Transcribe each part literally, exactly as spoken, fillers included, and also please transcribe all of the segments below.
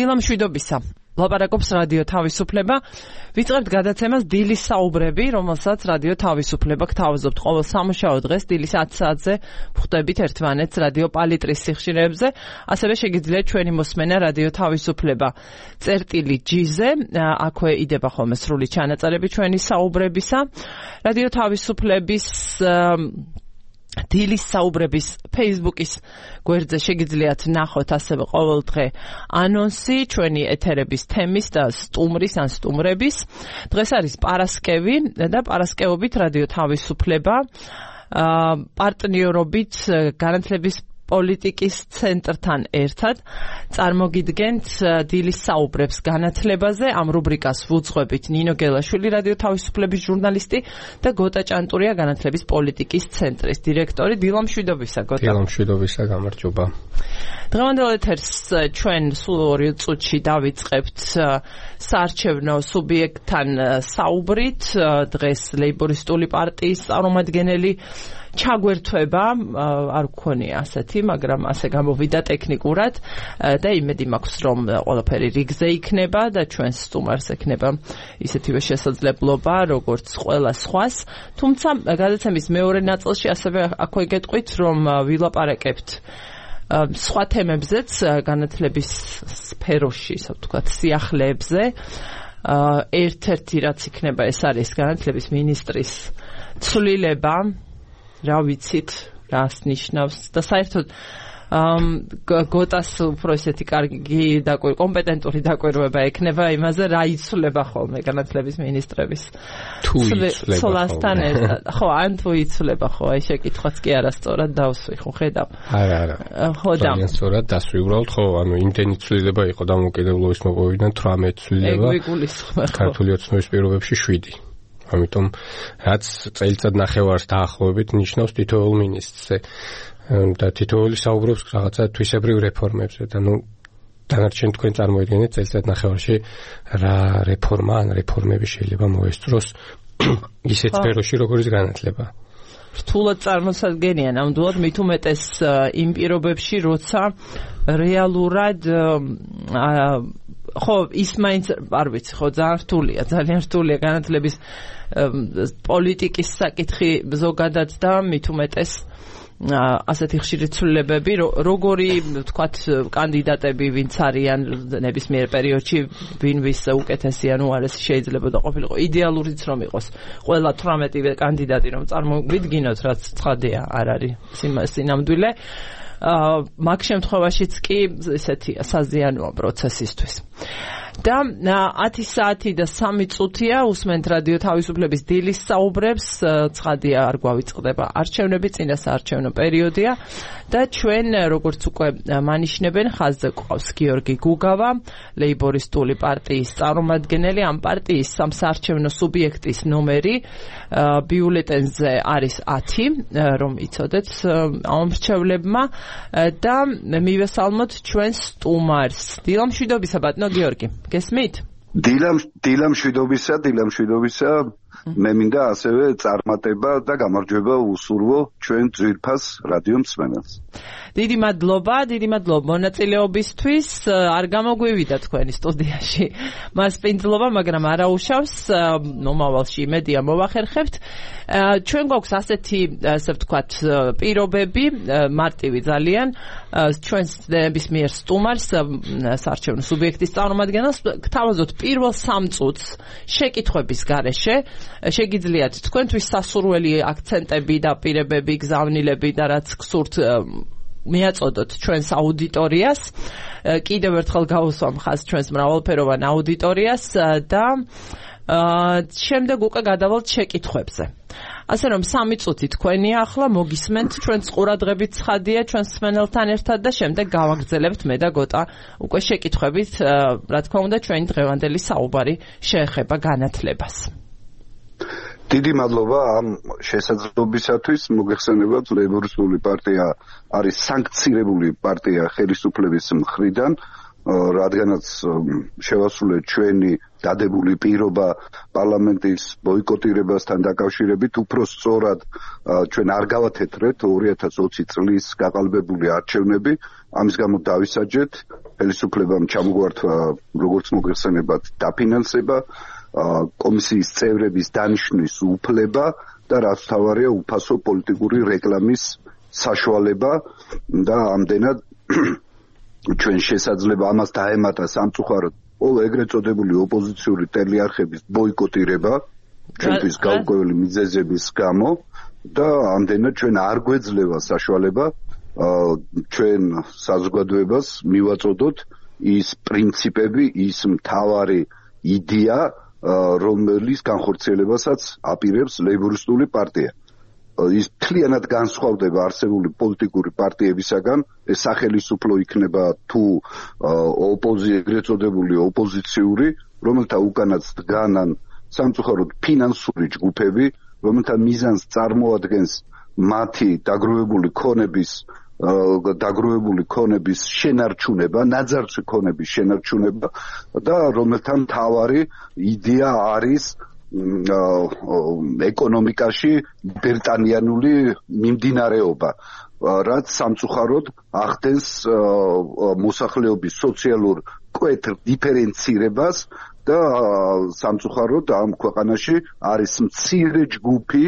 დილა მშვიდობისა. ლაპარაკობს რადიო თავისუფლება. ვიწყებთ გადაცემას დილის საუბრები, რომელსაც რადიო თავისუფლება გთავაზობთ ყოველ სამუშაო დღეს დილის ათი საათზე ვხვდებით ერთმანეთს რადიო პალიტრის სიხშირეებზე. ასევე შეგიძლიათ ჩვენი მოსმენა რადიო თავისუფლება წერტილი ჯი-ზე. აქვე იდება ხოლმე სრული ჩანაწერები ჩვენი საუბრებისა. რადიო თავისუფლების დილის საუბრების Facebook-ის გვერდზე შეგიძლიათ ნახოთ ასევე ყოველდღე ანონსი ჩვენი ეთერების თემის და სტუმრის ან სტუმრების. დღეს არის პარასკევი და პარასკევობით რადიო თავისუფლება პარტნიორობით განათლების პოლიტიკის ცენტრთან ერთად წარმოგიდგენთ დილის საუბრებს განათლებაზე. ამ რუბრიკას ვუძღვებით ნინო გელაშვილი, რადიო თავისუფლების ჟურნალისტი და გოტა ჭანტურია, განათლების პოლიტიკის ცენტრის დირექტორი. დილა მშვიდობისა, გოტა. დილა მშვიდობისა, გამარჯობა. დღევანდელ ეთერს ჩვენ სულ ორი წუთში დავიწყებთ საარჩევნო სუბიექტთან საუბრით. დღეს ლეიბორისტული პარტიის წარმომადგენელი ჩაგვერთვება, არ გქონია ასეთი, მაგრამ ასე გამოვიდა ტექნიკურად და იმედი მაქვს, რომ ყველაფერი რიგზე იქნება და ჩვენს სტუმარს ექნება ისეთივე შესაძლებლობა, როგორც ყველა სხვას. თუმცა გადაცემის მეორე ნაწილში ასევე აქვე გეტყვით, რომ ვილაპარაკებთ სხვა თემებზეც განათლების სფეროში, ასე ვთქვათ, სიახლეებზე. ერთ-ერთი რაც იქნება, ეს არის განათლების მინისტრის ცვლილება. რა ვიცით, რას ნიშნავს და საერთოდ გოტას უფრო ესეთი კარგი და კომპეტენტური დაკვირვება ექნება იმაზე, რა იცვლება ხოლმე განათლების მინისტრების ცვლასთან ერთად. ხო, ან თუ იცვლება, ხო, აი შეკითხვაც კი არასწორად დავსვი, ხო, ხედავ. არა, არა. ხო, და სწორად დასვი უბრალოდ, ხო, ანუ იმდენი ცვლილება იყო დამოუკიდებლობის მოპოვებიდან თვრამეტი ცვლილება. ეგ ვიგულისხმე, ხო. ქართული ოცნების პირობებში შვიდი. ამიტომ რაც წელიწად ნახევარს დაახლოებით ნიშნავს თითოეულ მინისტრზე და თითოეული საუბრობს რაღაცა თვისებრივ რეფორმებზე და ნუ დანარჩენ თქვენ წარმოიდგინეთ წელიწად ნახევარში რა რეფორმა ან რეფორმები შეიძლება მოესწროს ისეთ სფეროში როგორც განათლება. რთულად წარმოსადგენია ნამდვილად, მით უმეტეს იმ პირობებში, როცა რეალურად ხო, ის მაინც არ ვიცი, ხო, ძალიან რთულია, ძალიან რთულია განათლების პოლიტიკის საკითხი ზოგადად და მით უმეტეს ასეთი ხშირი ცვლილებები, როგორი, ვთქვათ, კანდიდატები ვინც არიან ნებისმიერ პერიოდში, ვინ ვის უკეთესი ან უარესი შეიძლება და ყოფილიყო. იდეალურიც რომ იყოს ყველა თვრამეტი კანდიდატი რომ წარმოვიდგინოთ, რაც ცხადია არ არის სინამდვილე. მაგ შემთხვევაშიც კი ესეთი საზიანოა პროცესისთვის. და ათი საათი და სამი წუთია უსმენთ რადიო თავისუფლების დილის საუბრებს. ცხადია არ გვავიწყდება არჩევნები, წინა საარჩევნო პერიოდია და ჩვენ როგორც უკვე მანიშნებენ, ხაზზე გვყავს გიორგი გუგავა, ლეიბორისტული პარტიის წარმომადგენელი. ამ პარტიის სამსაარჩევნო სუბიექტის ნომერი ბიულეტენზე არის ათი, რომ იცოდეთ ამ მრჩევლებმა და მივესალმოთ ჩვენს სტუმარს. დილა მშვიდობისა, ბატონო გიორგი. გესმით? დილა დილა მშვიდობისა, დილა მშვიდობისა. მე მინდა ასევე წარმატება და გამარჯვება უსურვო ჩვენ ძვირფას რადიო მსმენელს. დიდი მადლობა, დიდი მადლობა მონაწილეობისთვის. არ გამოგვივიდა თქვენი სტუდიაში მასპინძლობა, მაგრამ არაუშავს, მომავალში იმედია მოვახერხებთ. ჩვენ გვაქვს ასეთი, ასე ვთქვათ, პირობები, მარტივი ძალიან, ჩვენს ნებისმიერ სტუმარს, საარჩევნო სუბიექტის წარმომადგენელს, გთავაზობთ პირველ სამ წუთს შეკითხვების გარეშე. შეგიძლიათ თქვენთვის სასურველი აქცენტები და პირებები, გზავნილები და რაც გსურთ მიაწოდოთ ჩვენს აუდიტორიას. კიდევ ერთხელ გავუსვამ ხაზს ჩვენს მრავალფეროვან აუდიტორიას და შემდეგ უკვე გადავალთ შეკითხვებზე. ასე რომ სამი წუთი თქვენია ახლა, მოგისმენთ ჩვენს ყურადღებით ცხადია ჩვენს მსმენელთან ერთად და შემდეგ გავაგრძელებთ მე და გოტა უკვე შეკითხვებით, რა თქმა უნდა ჩვენი დღევანდელი საუბარი შეეხება განათლებას. დიდი მადლობა ამ შესაძლებლობისათვის. მოგეხსენებათ, ლეიბორისტული პარტია არის სანქცირებული პარტია ხელისუფლების მხრიდან, რადგანაც შევასრულეთ ჩვენი დადებული პირობა პარლამენტის ბოიკოტირებასთან დაკავშირებით უფრო სწორად ჩვენ არ გავათეთრეთ ორი ათას ოცი წლის გაყალბებული არჩევნები, ამის გამო დავისაჯეთ ხელისუფლებამ ჩამოგვართვა როგორც მოგეხსენებათ დაფინანსება, კომისიის წევრების დანიშვნის უფლება და რაც თავარია უფასო პოლიტიკური რეკლამის საშუალება და ამდენად ჩვენ შესაძლება ამას დაემატა სამწუხაროდ ო ეგრეთ წოდებული ოპოზიციური ტელეარხების ბოიკოტირება ჩვენთვის გაურკვეველი მიზეზების გამო და ამდენად ჩვენ არ გვეძლევა საშუალება ჩვენ საზოგადოებას მივაწოდოთ ის პრინციპები, ის მთავარი იდეა, რომლის განხორციელებასაც აპირებს ლეიბორისტული პარტია. ის მთლიანად განსხვავდება არსებული პოლიტიკური პარტიებისაგან, ეს სახელმწიფო იქნება თუ ოპოზიცია, ეგრეთ წოდებული ოპოზიციური, რომელთა უკანაც დგანან სამწუხაროდ ფინანსური ჯგუფები, რომელთა მიზანს წარმოადგენს მათი დაგროვებული ქონების დაგროვებული ქონების შენარჩუნება, ნაძარცვი ქონების შენარჩუნება და რომელთა მთავარი იდეა არის ეკონომიკაში ბერტანიანული მიმდინარეობა, რაც სამწუხაროდ ახდენს მოსახლეობის სოციალურ კვეთრ დიფერენცირებას და სამწუხაროდ ამ ქვეყანაში არის მცირე ჯგუფი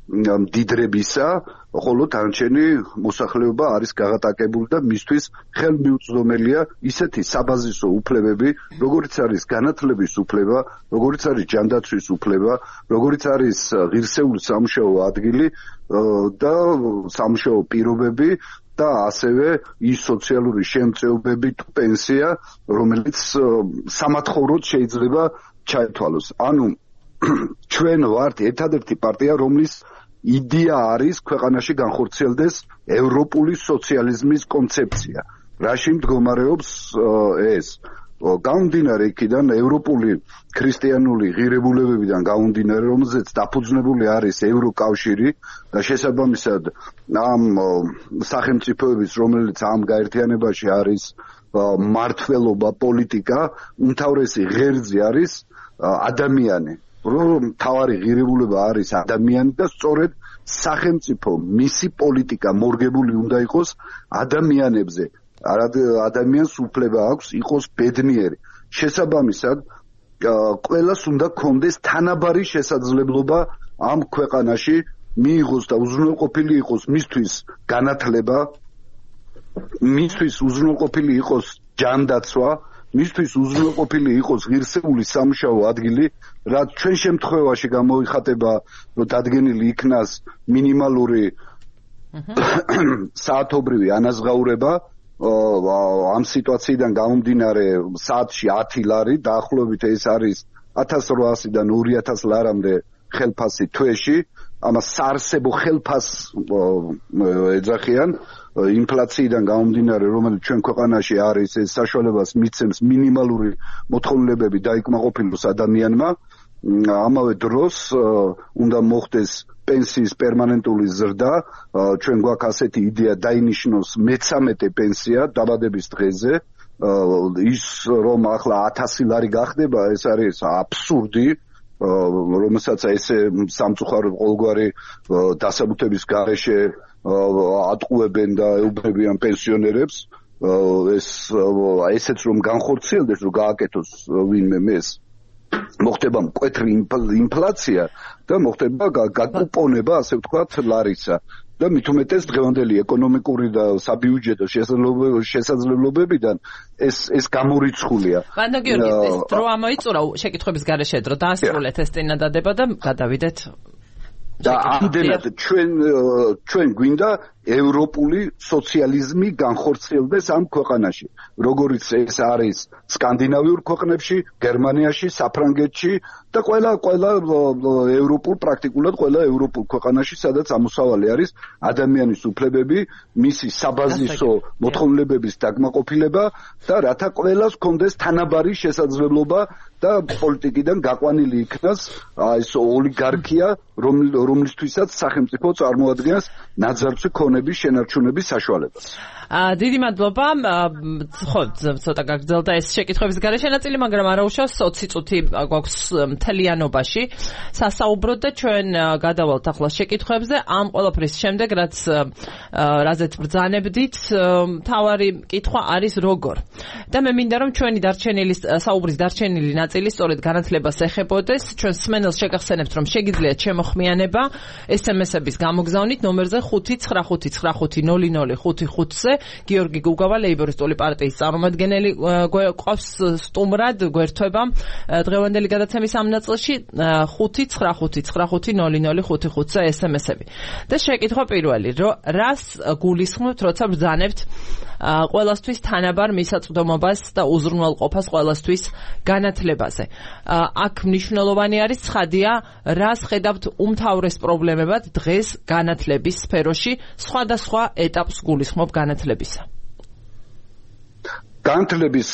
მდიდრებისა, ხოლო დანარჩენი მოსახლეობა არის გაღატაკებული და მისთვის ხელმიუწვდომელია ისეთი საბაზისო უფლებები, როგორიც არის განათლების უფლება, როგორიც არის ჯანდაცვის უფლება, როგორიც არის ღირსეული სამუშაო ადგილი და სამუშაო პირობები და ასევე ის სოციალური შემწეობები თუ პენსია, რომელიც სამათხოვროდ შეიძლება ჩაითვალოს. ანუ ჩვენ ვართ ერთადერთი პარტია, რომლის იდეა არის ქვეყანაში განხორციელდეს ევროპული სოციალიზმის კონცეფცია. რაში მდგომარეობს ეს? გამომდინარე იქიდან ევროპული ქრისტიანული ღირებულებებიდან გამომდინარე, რომელზეც დაფუძნებული არის ევროკავშირი და შესაბამისად ამ სახელმწიფოების, რომელიც ამ გაერთიანებაში არის მმართველობა, პოლიტიკა, უმთავრესი ღერძი არის ადამიანი. რომ თავარი ღირებულება არის ადამიანი და სწორედ სახელმწიფო მისი პოლიტიკა მორგებული უნდა იყოს ადამიანებზე. ადამიანს უფლება აქვს იყოს ბედნიერი. შესაბამისად, ყველას უნდა კონდეს თანაბარი შესაძლებლობა ამ ქვეყანაში მიიღოს და უზრუნველყოფილი იყოს მისთვის განათლება, მისთვის უზრუნველყოფილი იყოს ჯანდაცვა, მისთვის უზრუნველყოფილი იყოს ღირსეული სამუშაო ადგილი, რაც ჩვენ შემთხვევაში გამოიხატება, რომ დადგენილი იქნას მინიმალური საათობრივი ანაზღაურება, ამ სიტუაციიდან გამომდინარე საათში ათი ლარი, დაახლოებით ეს არის ათას რვაასიდან ორი ათას ლარამდე ხელფასი თვეში, ამას საარსებო ხელფასს ეძახიან. ინფლაციიდან გამომდინარე, რომელიც ჩვენ ქვეყანაში არის, ეს საშუალებას მიცემს მინიმალური მოთხოვნილებები დაიკმაყოფილოს ადამიანმა. ამავე დროს უნდა მოხდეს პენსიის პერმანენტული ზრდა, ჩვენ გვაქვს ასეთი იდეა დაინიშნოს მეცამეტე პენსია დაბადების დღეზე, ის რომ ახლა ათასი ლარი გახდება, ეს არის აბსურდი, რომელსაც ესე სამწუხაროდ ყოველგვარი დასაბუთების გარეშე ატყუებენ და ეუბნებიან პენსიონერებს, ეს ესეც რომ განხორციელდეს, რომ გააკეთოს ვინმე მეს, მოხდება მკვეთრი ინფლაცია და მოხდება გაკუპონება, ასე ვთქვათ, ლარისა. და მით უმეტეს დღევანდელი ეკონომიკური და საბიუჯეტო შესაძლებლობებიდან ეს ეს გამორიცხულია. ბანდა გიორგი, ეს დრო ამოიწურა შეკითხების გარეშე დრო დაასრულეთ ეს წინადადება და გადავიდეთ. და ამდენად ჩვენ ჩვენ გვინდა ევროპული სოციალიზმი განხორციელდეს ამ ქვეყანაში, როგორიც ეს არის სკანდინავიურ ქვეყნებში, გერმანიაში, საფრანგეთში და ყველა ყველა ევროპულ პრაქტიკულად ყველა ევროპულ ქვეყანაში, სადაც ამოსავალი არის ადამიანის უფლებები, მისი საბაზისო მოთხოვნილებების დაკმაყოფილება და რათა ყველას კონდეს თანაბარი შესაძლებლობა და პოლიტიკიდან გაყვანილი იქნას ეს ოლიგარქია, რომლისთვისაც სახელმწიფო წარმოადგენს ნაძარცვი ქონების შენარჩუნების საშუალებას. დიდი მადლობა. ხო, ცოტა გაგრძელდა ეს შეკითხვების გარეშე ნაწილი, მაგრამ არა უშავს ოცი წუთი გვაქვს მთლიანობაში სასაუბროთ და ჩვენ გადავალთ ახლა შეკითხვებზე. ამ ყველაფრის შემდეგ, რაც რაზეც ბრძანებდით, მთავარი კითხვა არის როგორ. და მე მინდა რომ ჩვენი დარჩენილი საუბრის დარჩენილი ნაწილი სწორედ განათლებას ეხებოდეს. ჩვენ სმენელს შეგახსენებთ, რომ შეგიძლიათ შემოხმიანება ეს ემ ეს-ების გამოგზავნით ნომერზე ხუთი ცხრა ხუთი ცხრა ხუთი ნული ნული ხუთი ხუთზე. გიორგი გუგავა, ლეიბორისტული პარტიის წარმომადგენელი, გვყავს სტუმრად, გვერდება დღევანდელი გადაცემის ამ ნაწილში ხუთი ცხრა ხუთი ცხრა ხუთი ნული ნული ხუთი ხუთზე ეს ემ ეს-ები. და შეკითხვა პირველი, რას გულისხმობთ, როცა ბრძანებთ ყველასთვის თანაბარ მისაწვდომობას და უზრუნველყოფას ყველასთვის განათლებაზე. აქ მნიშვნელოვანი არის ცხადია, რას ხედავთ უმთავრეს პრობლემებად დღეს განათლების სფეროში, სხვადასხვა ეტაპს გულისხმობ განათლებისა. განათლების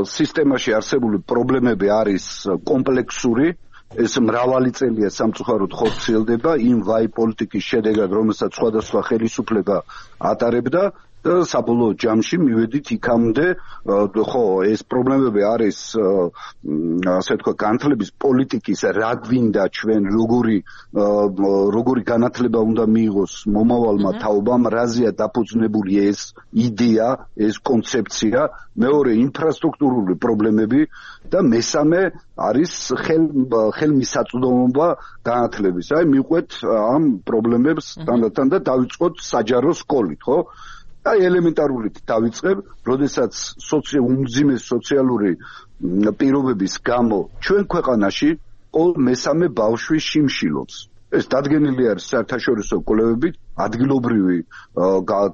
სისტემაში არსებული პრობლემები არის კომპლექსური, ეს მრავალი წელია სამწუხაროდ ხორციელდება იმ ვაი პოლიტიკის შედეგად, რომელსაც სხვადასხვა ხელისუფლება ატარებდა. საბოლოო ჯამში მივედით იქამდე, ხო, ეს პრობლემები არის, ასე თქვა, განათლების პოლიტიკის რა გვინდა ჩვენ, როგორი როგორი განათლება უნდა მიიღოს მომავალმა თაობამ, რაზეა დაფუძნებული ეს იდეა, ეს კონცეფცია, მეორე ინფრასტრუქტურული პრობლემები და მესამე არის ხელმისაწვდომობა განათლების. აი, მივყვეთ ამ პრობლემებს თანდათან და დავიწყოთ საჯარო სკოლით, ხო? აი ელემენტარულით დავიწყებ, როდესაც უმძიმეს სოციალური პირობების გამო ჩვენ ქვეყანაში ყოველ მესამე ბავშვი შიმშილობს. ეს დადგენილი არის საერთაშორისო კვლევებით, ადგილობრივი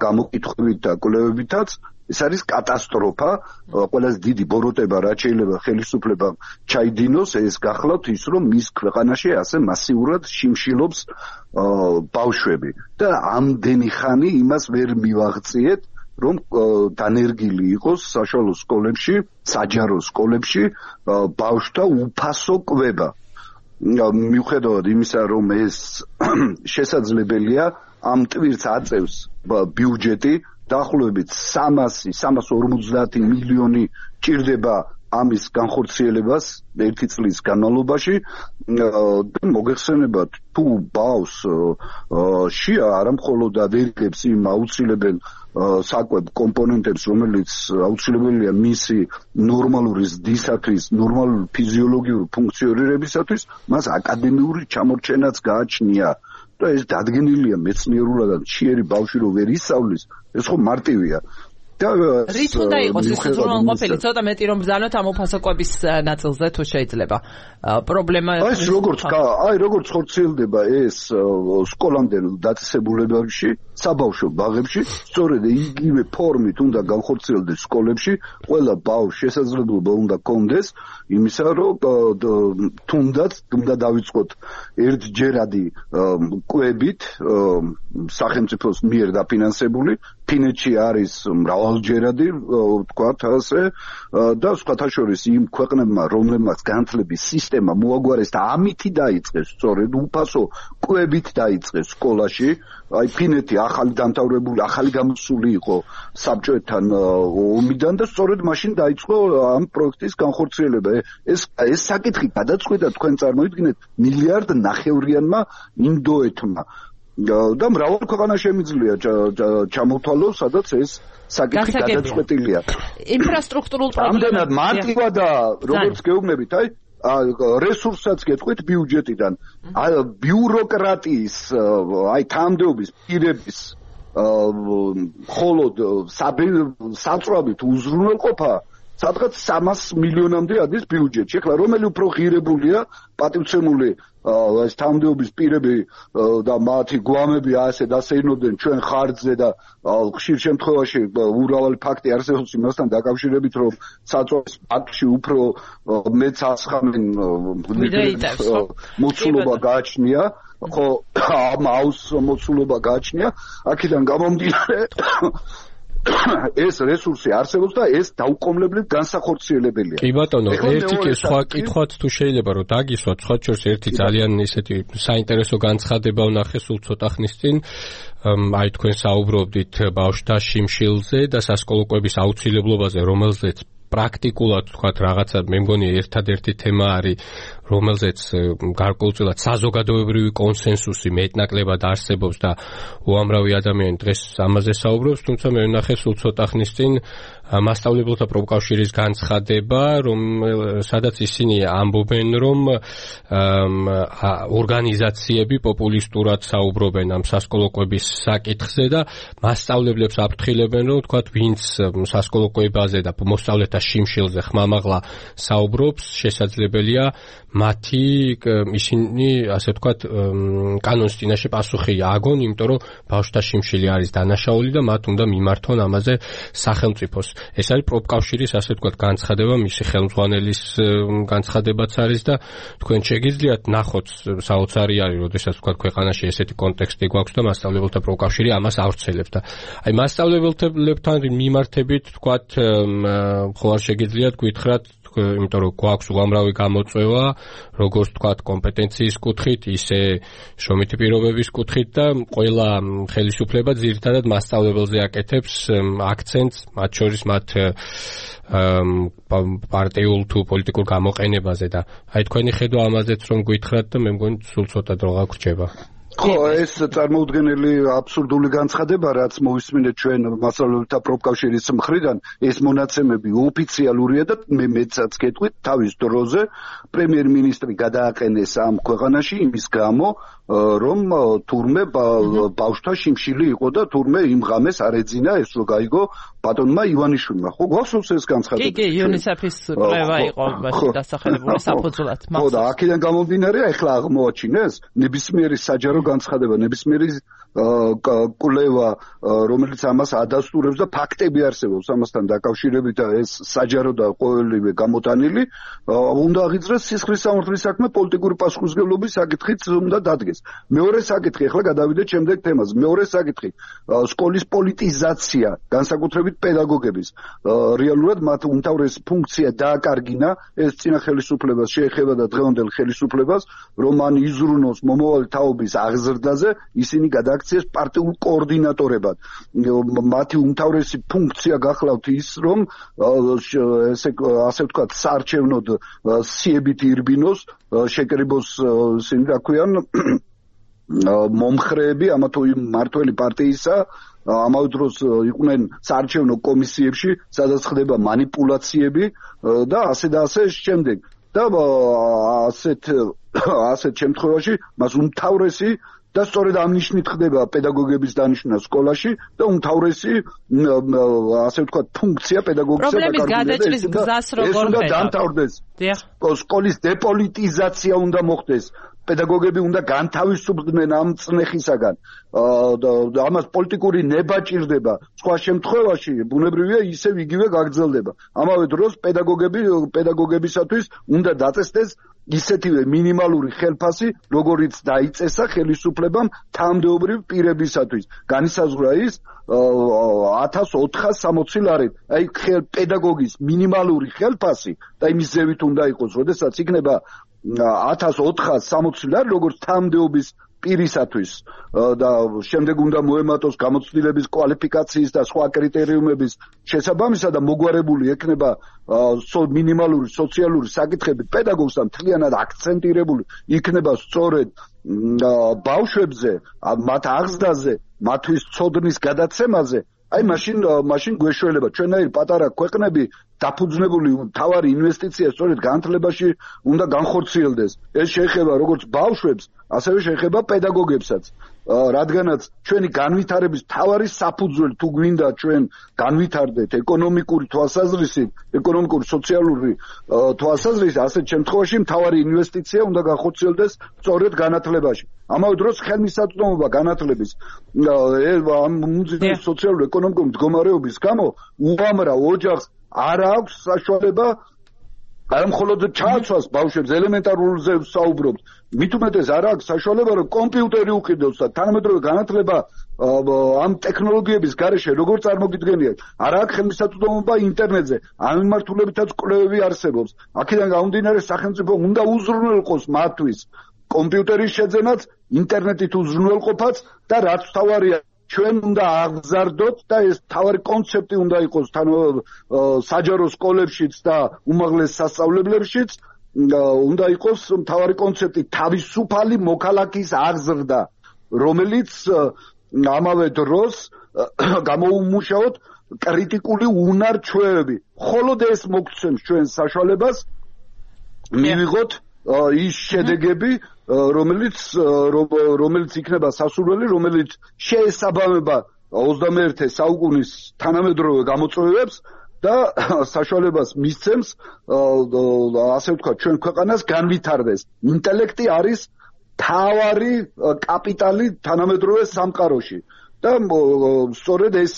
გამოკითხვებით და კვლევებითაც. ეს არის კატასტროფა, ყველაზე დიდი ბოროტება, რაც შეიძლება ხელისუფლებამ ჩაიდინოს, ეს გახლავთ ის, რომ მის ქვეყანაში ასე მასიურად შიმშილობს ბავშვები და ამდენი ხანი იმას ვერ მივაღწიეთ, რომ დანერგილი იყოს საშუალო სკოლებში, საჯარო სკოლებში ბავშვთა უფასო კვება. მიუხედავად იმისა, რომ ეს შესაძლებელია, ამ ტვირთს აწევს ბიუჯეტი, დაახლოებით სამას ორმოცდაათი მილიონი ჭირდება ამის განხორციელებას ერთი წლის განმავლობაში. მოგეხსენებათ, თუ ბავშვს შია არა მხოლოდ ადერგებს იმ აუცილებელ საკვებ კომპონენტებს, რომელიც აუცილებელია მისი ნორმალური ზრდისათვის, ნორმალური ფიზიოლოგიური ფუნქციონირებისათვის, მას აკადემიური ჩამორჩენაც გააჩნია. და ეს დადგენილია მეცნიერულად, ჩიერი ბავშვი რო ვერ ისწავლის, ეს ხო მარტივია. რით უნდა იყოს ეს უზრუნველყოფელი? ცოტა მეტი რომ ბრძანოთ ამ უფასო კვების ნაწილზე, თუ შეიძლება. პრობლემა აი როგორც აი როგორც ხორციელდება ეს სკოლამდელ დაწესებულებებში, საბავშვო ბაღებში, სწორედ იგივე ფორმით უნდა განხორციელდეს სკოლებში, ყველა ბავშვს შესაძლებლობა უნდა კონდეს იმისა, რომ თუნდაც უნდა დავიწყოთ ერთჯერადი კვებით სახელმწიფოს მიერ დაფინანსებული, ფინეთში არის მრავალჯერადი, ვთქვათ ასე, და სხვათა შორის იმ ქვეყნებმა, რომლებმაც განათლების სისტემა მოაგვარეს და ამითი დაიწყეს, სწორედ უფასო კვებით დაიწყეს სკოლაში. აი ფინეთი ახალი დამთავრებული, ახალი გამოსული იყო საბჭოებთან ომიდან და სწორედ მაშინ დაიწყო ამ პროექტის განხორციელება. ეს ეს საკითხი გადაწყვეტა, თქვენ წარმოიდგინეთ, მილიარდ ნახევრიანმა ინდოეთმა. და მრავალ ქვეყანა შემიძლია ჩამოთვალოს, სადაც ეს საკითხი გადაწყვეტილია. ინფრასტრუქტურულ პრობლემებს. ამდენად მარტივად და როგორც გეუბნებით, აი რესურსსაც გეტყვით ბიუჯეტიდან, ბიუროკრატიის, აი თანამდებობის პირების მხოლოდ საწვავით უზრუნველყოფა სადღაც სამას მილიონამდე ადის ბიუჯეტში. ეხლა რომელი უფრო ღირებულია, პატივცემული ეს თანამდებობის პირები და მათი გვამები ასე დასეირნობდნენ ჩვენ ხარჯზე და ხშირ შემთხვევაში ურავალი ფაქტი არსებობს იმასთან დაკავშირებით, რომ საწვავის პაქტში უფრო მეც ასხამენ მოცულობა გააჩნია, ხო ამ აუს მოცულობა გააჩნია. აქედან გამომდინარე ეს რესურსი არსებობს და ეს დაუკომლებლივ განსახორციელებელია. კი ბატონო, ერთი კი სხვა კითხვაც თუ შეიძლება რომ დაგისვათ, სხვა შორს ერთი ძალიან ისეთი საინტერესო განცხადება ვნახე სულ ცოტა ხნის წინ. აი თქვენ საუბრობდით ბავშვთა შიმშილზე და სასკოლო კვების აუცილებლობაზე, რომელზეც პრაქტიკულად თქვათ რაღაცა მე მგონი ერთადერთი თემა არის, რომელზეც გარკვეულწილად საზოგადოებრივი კონსენსუსი მეტნაკლებად არსებობს და უამრავი ადამიანი დღეს ამაზე საუბრობს, თუმცა მე ვნახე სულ ცოტა ხნის წინ მასწავლებელთა პროფკავშირის განცხადება, რომ სადაც ისინი ამბობენ, რომ ორგანიზაციები პოპულისტურად საუბრობენ ამ სასკოლო კვების საკითხზე და მასწავლებლებს აფრთხილებენ, რომ თქვათ ვინც სასკოლო კვებაზე და მოსწავლეთა შიმშილზე ხმამაღლა საუბრობს, შესაძლებელია მათი ისინი ასე ვთქვათ კანონის წინაშე პასუხი ააგონ, იმიტომ რომ ბავშვთა შიმშილი არის დანაშაული და მათ უნდა მიმართონ ამაზე სახელმწიფოს. ეს არის პროფკავშირის ასე ვთქვათ განცხადება, მისი ხელმძღვანელის განცხადებაც არის და თქვენ შეგიძლიათ ნახოთ საოცარი არის, როდესაც ვთქვათ ქვეყანაში ესეთი კონტექსტი გვაქვს და მასწავლებელთა პროფკავშირი ამას ავრცელებს და აი მასწავლებლებთან მიმართებით ვთქვათ ხო არ შეგიძლიათ გითხრათ, იმიტომ რომ გვაქვს უამრავი გამოწვევა, როგორც ვთქვათ კომპეტენციის კუთხით, ისე შრომითი პირობების კუთხით და ყველა ხელისუფლება ძირითადად მასწავლებელზე აკეთებს აქცენტს, მათ შორის მათ პარტიულ თუ პოლიტიკურ გამოყენებაზე და აი თქვენი ხედვა ამაზეც რომ გითხრათ და მე მგონი სულ ცოტა დრო გაგრჩება. ხო, ეს წარმოუდგენელი აბსურდული განცხადება, რაც მოვისმინეთ ჩვენ მასწავლებელთა პროფკავშირის მხრიდან, ეს მონაცემები ოფიციალურია და მე მეცაც გეტყვით თავის დროზე პრემიერ-მინისტრი გადააყენეს ამ ქვეყანაში იმის გამო, რომ თურმე ბავშვთა შიმშილი იყო და თურმე იმ ღამეს არ ეძინა ეს რო გაიგო ბატონმა ივანიშვილმა. ხო, გვახსოვს ეს განცხადება? კი, კი, იუნისეფის კვლევა იყო მაშინ დასახელებული საფუძვლად. ხო, და აქედან გამომდინარე, ახლა აღმოაჩინეს ნებისმიერი საჯარო განცხადება, ნებისმიერი კვლევა, რომელიც ამას ადასტურებს და ფაქტები არსებობს ამასთან დაკავშირებით და ეს საჯარო და ყოველივე გამოტანილი, უნდა აღიძრეს სისხლის სამართლის საქმე პოლიტიკური პასუხისმგებლობის საკითხიც უნდა დადგეს. მეორე საკითხი, ახლა გადავიდეთ შემდეგ თემაზე. მეორე საკითხი, სკოლის პოლიტიზაცია, განსაკუთრებით პედაგოგების. რეალურად მათ უმთავრესი ფუნქცია დააკარგინა ეს წინა ხელისუფლებას შეეხება და დღევანდელ ხელისუფლებას, რომ მან იზრუნოს მომავალი თაობის აღზრდაზე, ისინი გადააქციეს პარტიულ კოორდინატორებად. მათი უმთავრესი ფუნქცია გახლავთ ის, რომ ესე ასე ვთქვათ, საარჩევნოდ სიებით ირბინოს, შეკრიბოს ისინი რა ქვიან მომხრეები ამა თუ იმ მართველი პარტიისა, ამავე დროს იყვნენ საარჩევნო კომისიებში, სადაც ხდება манипуляციები და ასე და ასე შემდეგ. და ასეთ ასეთ შემთხვევაში მას უმთავრესი და სწორედ ამ ნიშნით ხდება პედაგოგების დანიშვნა სკოლაში და უმთავრესი ასე ვთქვათ ფუნქცია პედაგოგისა და პრობლემის გადაჭრის გზას როგორ ხედავთ? ეს უნდა დამთავრდეს. სკოლის დეპოლიტიზაცია უნდა მოხდეს. პედაგოგები უნდა განთავისუფლდნენ ამ წნეხისაგან. და ამას პოლიტიკური ნება ჭირდება. სხვა შემთხვევაში ბუნებრივია ისევ იგივე გაგრძელდება. ამავე დროს პედაგოგები პედაგოგებისათვის უნდა დაწესდეს ისეთივე მინიმალური ხელფასი, როგორიც დაიწესა ხელისუფლებამ თანამდებობრივ პირებისათვის. განისაზღვრა ის ათას ოთხას სამოცი ლარით. აი პედაგოგის მინიმალური ხელფასი და იმის ზევით უნდა იყოს, როდესაც იქნება ათას ოთხას სამოცი ლარი, როგორც თანამდებობის პირისათვის და შემდეგ უნდა მოემატოს გამოცდილების კვალიფიკაციის და სხვა კრიტერიუმების შესაბამისად და მოგვარებული ექნება მინიმალური სოციალური საკითხები პედაგოგს და მთლიანად აქცენტირებული იქნება სწორედ ბავშვებზე, მათ აღზრდაზე, მათთვის ცოდნის გადაცემაზე. აი მაშინ მაშინ გვეშველება ჩვენაირ პატარა ქვეყნები დაფუძნებული თავარი ინვესტიცია სწორედ განათლებაში უნდა განხორციელდეს. ეს შეეხება როგორც ბავშვებს, ასევე შეეხება პედაგოგებსაც. რადგანაც ჩვენი განვითარების თავარი საფუძველი თუ გვინდა ჩვენ განვითარდეთ ეკონომიკური თვალსაზრისით, ეკონომიკური სოციალური თვალსაზრისით, ასეთ შემთხვევაში თავარი ინვესტიცია უნდა განხორციელდეს სწორედ განათლებაში. ამავე დროს ხელმისაწვდომობა განათლების ამ მუზეუმის სოციალური ეკონომიკური მდგომარეობის გამო უამრავ ოჯახს არ აქვს საშუალება არა მხოლოდ ჩააცვას ბავშვებს ელემენტარულზე საუბრობთ, მით უმეტეს არ აქვს საშუალება რომ კომპიუტერი უყიდოს და თანამედროვე განათლება ამ ტექნოლოგიების გარეშე როგორ წარმოგიდგენიათ, არ აქვს ხელმისაწვდომობა ინტერნეტზე, ამ მიმართულებითაც კვლევები არსებობს. აქედან გამომდინარე სახელმწიფო უნდა უზრუნველყოს მათთვის კომპიუტერის შეძენაც, ინტერნეტით უზრუნველყოფაც და რაც თავარია ჩვენ უნდა აღზარდოთ და ეს თავარი კონცეფტი უნდა იყოს თან საჯარო სკოლებშიც და უმაღლეს სასწავლებლებშიც უნდა იყოს თავარი კონცეფტი თავისუფალი მოქალაქის აღზრდა, რომელიც ამავე დროს გამოუმუშაოთ კრიტიკული უნარ-ჩვევები. მხოლოდ ეს მოგცემს ჩვენ საშუალებას მივიღოთ ის შედეგები, რომელიც რომელიც იქნება სასურველი, რომელიც შეესაბამება ოცდამეერთე საუკუნის თანამედროვე გამოწვევებს და საშუალებას მისცემს ასე ვთქვათ ჩვენ ქვეყანას განვითარდეს. ინტელექტი არის თავარი კაპიტალი თანამედროვე სამყაროში და სწორედ ეს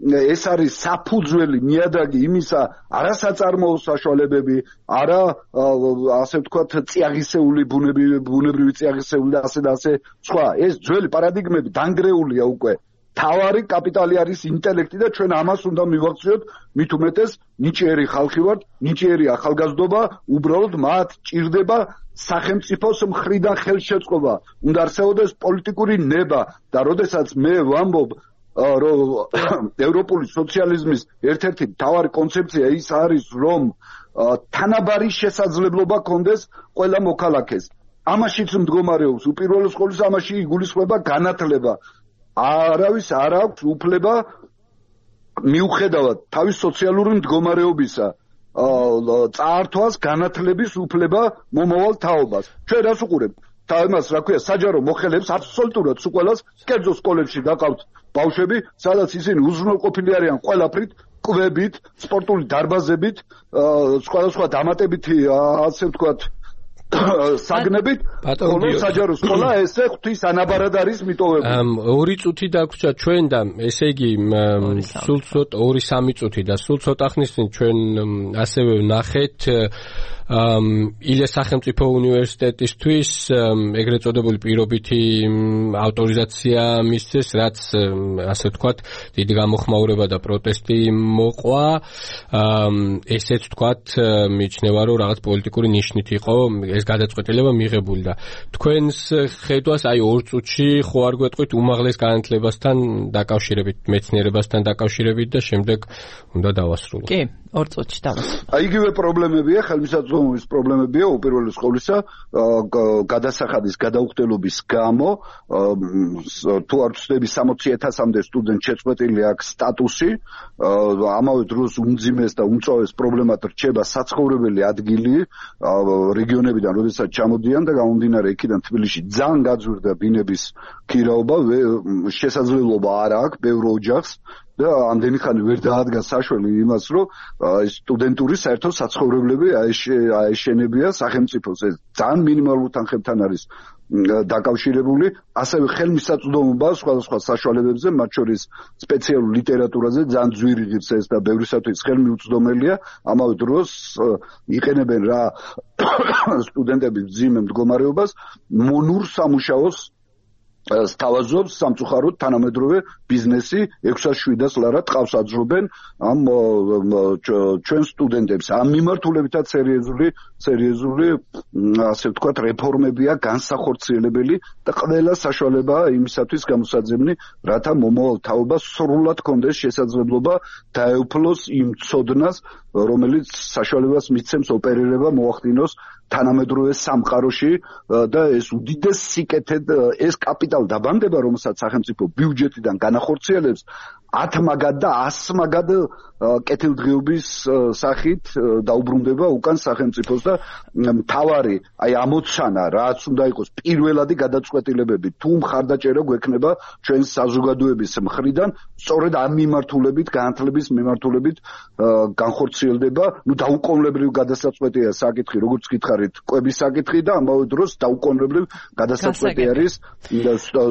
ეს არის საფუძველი ნიადაგი იმისა, არა საწარმოო საშუალებები, არა ასე ვთქვათ წიაღისეული ბუნებრივი ბუნებრივი წიაღისეული და ასე და ასე სხვა. ეს ძველი პარადიგმები დანგრეულია უკვე. თავარი კაპიტალი არის ინტელექტი და ჩვენ ამას უნდა მივახციოთ, მით უმეტეს ნიჭიერი ხალხი ვართ, ნიჭიერი ახალგაზრდობა, უბრალოდ მათ ჭირდება სახელმწიფოს მხრიდან ხელშეწყობა. უნდა არსებობდეს პოლიტიკური ნება და როდესაც მე ვამბობ რომ ევროპული სოციალიზმის ერთ-ერთი მთავარი კონცეფცია ის არის, რომ თანაბარი შესაძლებლობა კონდეს ყველა მოქალაქეს. ამაშიც მდგომარეობს უპირველეს ყოვლისა ამაში იგულისხმება განათლება. არავის არ აქვს უფლება მიუხედავად თავის სოციალური მდგომარეობისა წაართვას განათლების უფლება მომავალ თაობას. ჩვენ რას უყურებთ? თამას რა ქვია საჯარო მოხელებს აბსოლუტურად სულ კერძო სკოლებში გაყავთ ბავშვები, სადაც ისინი უზრუნველყოფილი არიან ყველაფრით, კვებით, სპორტული დარბაზებით, სხვადასხვა დამატებითი ასე ვთქვათ საგნებით, ხოლო საჯარო სკოლა ესე ღვთის ანაბარად არის მიტოვებული. ორი წუთი დაგვრჩა ჩვენ და ესე იგი სულ ცოტა ორი სამი წუთი და სულ ცოტა ხნის წინ ჩვენ ასევე ვნახეთ ილეს სახელმწიფო უნივერსიტეტისთვის ეგრეთ წოდებული პირობითი ავტორიზაცია მისცეს, რაც ასე ვთქვათ დიდი გამოხმაურება და პროტესტი მოყვა. ესეც ვთქვათ მიიჩნევა რომ რაღაც პოლიტიკური ნიშნით იყო ეს გადაწყვეტილება მიღებული და თქვენს ხედვას აი ორ წუთში ხო არ გვეტყვით უმაღლეს განათლებასთან დაკავშირებით, მეცნიერებასთან დაკავშირებით და შემდეგ უნდა დავასრულოთ. კი, ორ წუთში დავასრულოთ. აი იგივე პრობლემებია, ხელმისაწვდომობის პრობლემებია უპირველეს ყოვლისა გადასახადის გადაუხდელობის გამო, თუ არ ვცდები სამოცი ათასამდე სტუდენტ შეწყვეტილი აქვს სტატუსი, ამავე დროს უმძიმეს და უმწვავეს პრობლემად რჩება საცხოვრებელი ადგილი რეგიონები როდესაც ჩამოდიან და გამომდინარე იქიდან თბილისში ძალიან გაძვირდა ბინების ქირაობა, შესაძლებლობა არ აქვს ბევრ ოჯახს და ამდენი ხანი ვერ დაადგა საშველი იმას, რომ სტუდენტური საერთო საცხოვრებლები აეშენებია სახელმწიფოს. ეს ძალიან მინიმალურ თანხებთან არის დაკავშირებული, ასევე ხელმისაწვდომობა სხვადასხვა საშუალებებზე, მათ შორის სპეციალურ ლიტერატურაზე ძალიან ძვირი ღირს ეს და ბევრისათვის ხელმიუწვდომელია. ამავე დროს იყენებენ რა სტუდენტები მძიმე მდგომარეობას მონურ სამუშაოს სთავაზობს სამწუხაროდ თანამედროვე ბიზნესი ექვსას შვიდას ლარა ტყავს აძრობენ ამ ჩვენ სტუდენტებს. ამ მიმართულებითაც სერიოზული სერიოზული ასე ვთქვათ რეფორმებია განსახორციელებელი და ყველა საშუალებაა იმისათვის გამოსაძებნი, რათა მომავალ თაობას სრულად კონდეს შესაძლებლობა დაეუფლოს იმ ცოდნას, რომელიც საშუალებას მისცემს ოპერირება მოახდინოს თანამედროვე სამყაროში და ეს უდიდეს სიკეთედ ეს კაპიტალ დაბანდება, რომელსაც სახელმწიფო ბიუჯეტიდან განახორციელებს ათ მაგად და ას მაგად კეთილდღეობის სახით დაუბრუნდება უკან სახელმწიფოს და მთავარი აი ამოცანა რაც უნდა იყოს პირველადი გადაწყვეტილებები თუ მხარდაჭერა გვექნება ჩვენ საზოგადოების მხრიდან სწორედ ამ მიმართულებით განათლების მიმართულებით განხორციელდება. ნუ დაუკონლებრივ გადასაწყვეტია საკითხი, როგორც გითხარით, კვების საკითხი და ამავე დროს დაუკონლებრივ გადასაწყვეტი არის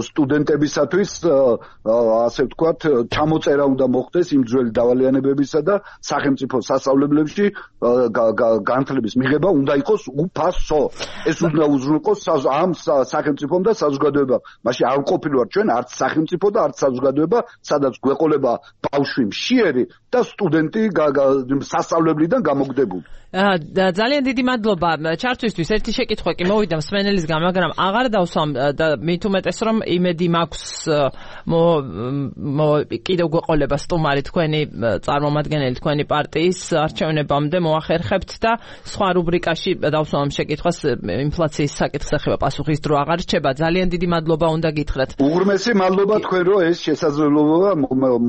სტუდენტებისათვის ასე ვთქვათ ჩამო გამოწერა უნდა მოხდეს იმ ძველი დავალიანებებისა და სახელმწიფო სასწავლებლებში განათლების მიღება უნდა იყოს უფასო. ეს უნდა უზრუნველყოს ამ სახელმწიფომ და საზოგადოებამ. მაშინ არ ყოფილვარ ჩვენ არც სახელმწიფო და არც საზოგადოება, სადაც გვეყოლება ბავშვი მშიერი და სტუდენტი სასწავლებლიდან გამოგდებული. ძალიან დიდი მადლობა ჩართვისთვის. ერთი შეკითხვა კი მოვიდა მსმენელისგან, მაგრამ აღარ დავსვამ და მით უმეტეს რომ იმედი მაქვს კიდევ გვეყოლება სტუმარი თქვენი წარმომადგენელი თქვენი პარტიის არჩევნებამდე მოახერხებთ და სხვა რუბრიკაში დავსვამ შეკითხვას ინფლაციის საკითხს ეხება პასუხის დრო აღარ რჩება. ძალიან დიდი მადლობა უნდა გითხრათ. უღრმესი მადლობა თქვენ რომ ეს შესაძლებლობა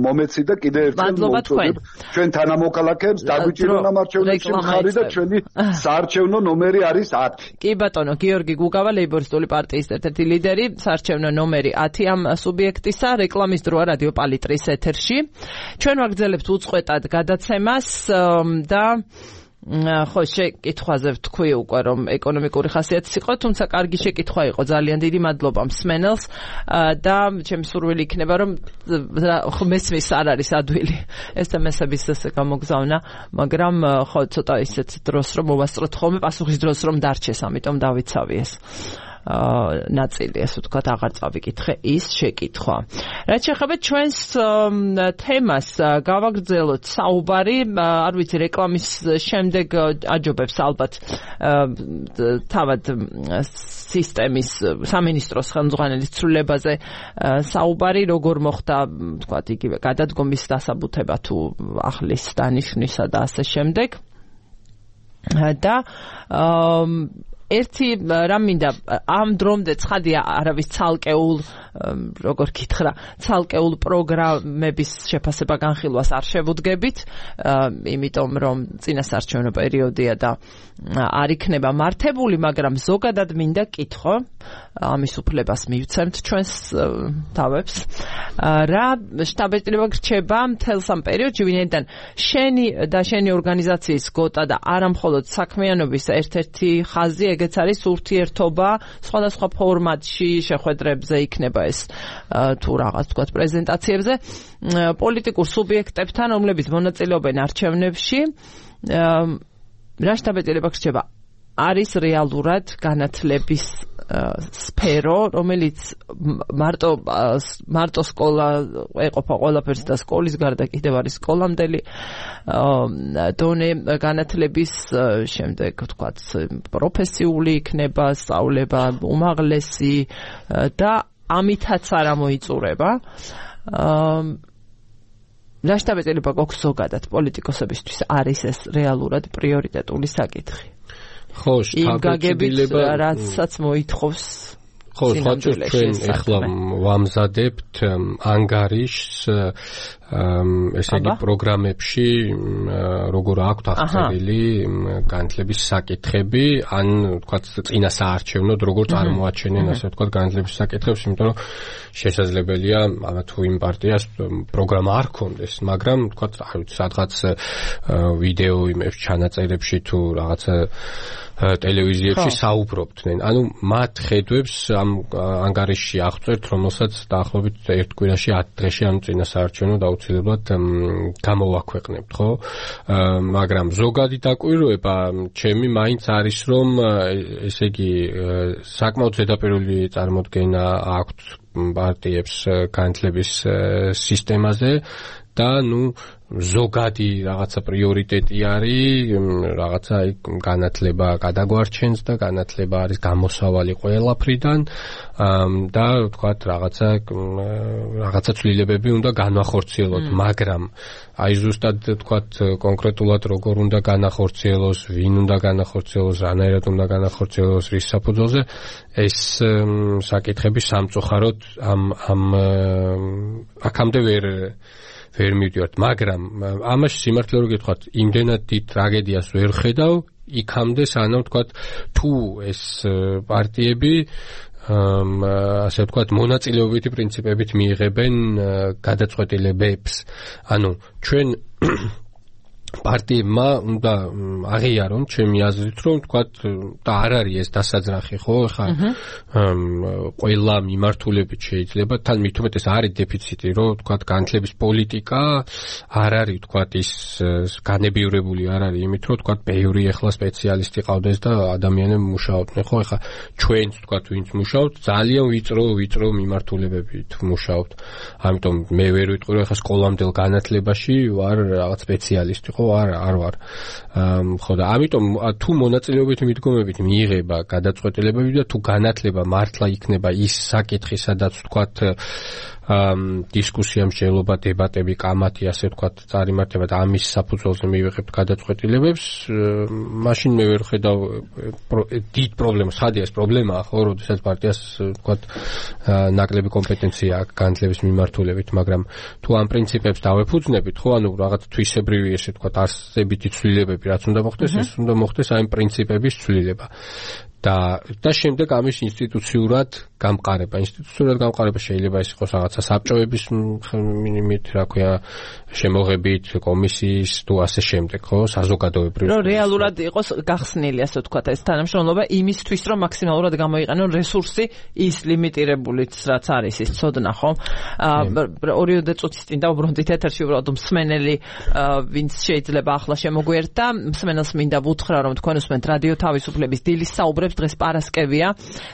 მომეცით და კიდევ ერთხელ მოვუწოდებ ჩვენ თანამოქალაქეებს დაგვიჭირონ ამ არჩევნებში მხარი და ჩვენი საარჩევნო ნომერი არის ათი. კი ბატონო, გიორგი გუგავა, ლეიბორისტული პარტიის ერთ-ერთი ლიდერი, საარჩევნო ნომერი ათი ამ სუბიექტისა, რეკლამის დროა რადიო პალიტრის ეთერში. ჩვენ ვაგრძელებთ უწყვეტად გადაცემას და ხო შეკითხვაზე ვთქვი უკვე რომ ეკონომიკური ხასიათის იყო, თუმცა კარგი შეკითხვა იყო. ძალიან დიდი მადლობა მსმენელს და ჩემი სურვილი იქნება რომ მესმის არ არის ადვილი ეს თემასების ესე გამოგზავნა, მაგრამ ხო ცოტა ისეთ დროს რომ მოვასწროთ ხოლმე პასუხის დროს რომ დარჩეს, ამიტომ დავიცავი ეს ნაწილი, ასე ვთქვათ, აღარ წავიკითხე ის შეკითხვა. რაც შეეხება ჩვენს თემას, გავაგრძელოთ საუბარი, არ ვიცი, რეკლამის შემდეგ აჯობებს ალბათ თავად სისტემის სამინისტროს ხელმძღვანელის ცვლილებაზე საუბარი, როგორ მოხდა, ვთქვათ, იგივე გადადგომის დასაბუთება თუ ახლის დანიშვნისა და ასე შემდეგ. და ერთი რამ მინდა ამ დრომდე ცხადია არავის ცალკეულ როგორ გითხრა ცალკეულ პროგრამების შეფასება განხილვას არ შევუდგებით, იმიტომ რომ წინასაარჩევნო პერიოდია და არ იქნება მართებული, მაგრამ ზოგადად მინდა კითხო, ამის უფლებას მივცემთ ჩვენს თავებს, რა შტაბ-ეჭრება გრჩება მთელს ამ პერიოდში, ვინაიდან შენი და შენი ორგანიზაციის გოტა და არა მხოლოდ საქმიანობის ერთ-ერთი ხაზი ეგეც არის ურთიერთობა სხვადასხვა ფორმატში შეხვედრებზე იქნება ეს თუ რაღაც თქვათ პრეზენტაციებზე პოლიტიკურ სუბიექტებთან, რომლებიც მონაწილეობენ არჩევნებში. რა შტაბ-ეჭრება გრჩება? არის რეალურად განათლების სფერო, რომელიც მარტო მარტო სკოლა ეყოფა ყველაფერს და სკოლის გარდა კიდევ არის სკოლამდელი დონე განათლების, შემდეგ ვთქვათ პროფესიული იქნება სწავლება უმაღლესი და ამითაც არ მოიწურება. რა შტაბ-ეჭრება გვაქვს ზოგადად პოლიტიკოსებისთვის არის ეს რეალურად პრიორიტეტული საკითხი? ხო, შტაბ-ეჭრება რაცაც მოითხოვს. ხო, სხვათა ჩვენ ახლა ვამზადებთ ანგარიშს ესე იგი პროგრამებში, როგორ აქვთ აღწერილი განათლების საკითხები, ან ვთქვათ წინასაარჩევნოდ როგორ წარმოაჩენენ, ასე ვთქვათ, განათლების საკითხებს, იმიტომ რომ შესაძლებელია თუ იმ პარტიას პროგრამა არ ქონდეს, მაგრამ ვთქვათ, არ ვიცი, სადღაც ვიდეო იმებს ჩანაწერებში თუ რაღაცა ტელევიზიებში საუბრობდნენ. ანუ მათ ხედვებს ამ ანგარიშში აღწერთ, რომელსაც დაახლოებით ერთ კვირაში ათი დღეში ამ წინასაარჩევნო აუცილებლად გამოვაქვეყნებთ, ხო? მაგრამ ზოგადი დაკვირვება ჩემი მაინც არის, რომ ესე იგი საკმაოდ ზედაპირული წარმოდგენა აქვთ პარტიებს განათლების სისტემაზე და ნუ ზოგადი რაღაცა პრიორიტეტი არის, რაღაცა განათლება გადაგვარჩენს და განათლება არის გამოსავალი ყველაფრიდან და ვთქვათ რაღაცა რაღაცა ცვლილებები უნდა განახორციელოთ, მაგრამ აი ზუსტად ვთქვათ კონკრეტულად როგორ უნდა განახორციელოს, ვინ უნდა განახორციელოს, რანაირად უნდა განახორციელოს, რის საფუძველზე, ეს საკითხები სამწუხაროდ ამ ამ აქამდე ვერ ვერ მივდივართ, მაგრამ ამაში სიმართლე რომ გითხრათ, იმდენად დიდ ტრაგედიას ვერ ხედავ იქამდე, სანამ ვთქვათ თუ ეს პარტიები ასე ვთქვათ მონაწილეობითი პრინციპებით მიიღებენ გადაწყვეტილებებს. ანუ ჩვენ პარტიებმა უნდა აღიარონ ჩემი აზრით რომ თქვათ და არ არის ეს დასაძრახი ხო ხა ყველა მიმართულებით შეიძლება თან მით უმეტეს არის დეფიციტი რომ თქვათ განათლების პოლიტიკა არ არის თქვათ ის განებივრებული არ არის იმით რომ თქვათ ბევრი ახლა სპეციალისტი ყავდეს და ადამიანები მუშაობდნენ ხო ხა ჩვენც თქვათ ვინც მუშაობთ ძალიან ვიწრო ვიწრო მიმართულებებით მუშაობთ ამიტომ მე ვერ ვიტყვი რომ ხა სკოლამდელ განათლებაში ვარ რაღაც სპეციალისტი ხო არ არ ვარ ხო და ამიტომ თუ მონაწილეობით მიდგომებით მიიღება გადაწყვეტილებები და თუ განათლება მართლა იქნება ის საკითხი სადაც თქვათ დისკუსია მსჯელობა დებატები კამათი ასე თქვათ წარიმართება და ამის საფუძველზე მივიღებთ გადაწყვეტილებებს მაშინ მე ვერ ხედავ დიდ პრობლემას ხადია ეს პრობლემაა ხო როდესაც პარტიას თქვათ ნაკლები კომპეტენცია აქვს განათლების მიმართულებით მაგრამ თუ ამ პრინციპებს დავეფუძნებით ხო ანუ რაღაც თვისებრივი ესე თქვათ არსებითი ცვლილებები რაც უნდა მოხდეს ეს უნდა მოხდეს აი პრინციპების ცვლილება და და შემდეგ ამის ინსტიტუციურად გამყარება ინსტიტუციურად გამყარება შეიძლება ის იყოს რაღაცა საბჭოების მინიმით რა ქვია შემოღებით კომისიის თუ ასე შემდეგ ხო საზოგადოებრივი რომ რეალურად იყოს გახსნილი ასე ვთქვათ ეს თანამშრომლობა იმისთვის რომ მაქსიმალურად გამოიყენონ რესურსი ის ლიმიტირებულიც რაც არის ის ცოდნა ხო ორიოდე წუთის წინ დავუბრუნდით ეთერში უბრალოდ მსმენელი ვინც შეიძლება ახლა შემოგვიერთდა მსმენელს მინდა ვუთხრა რომ თქვენ უსმენთ რადიო თავისუფლების დილის საუბრებს დღეს პარასკევია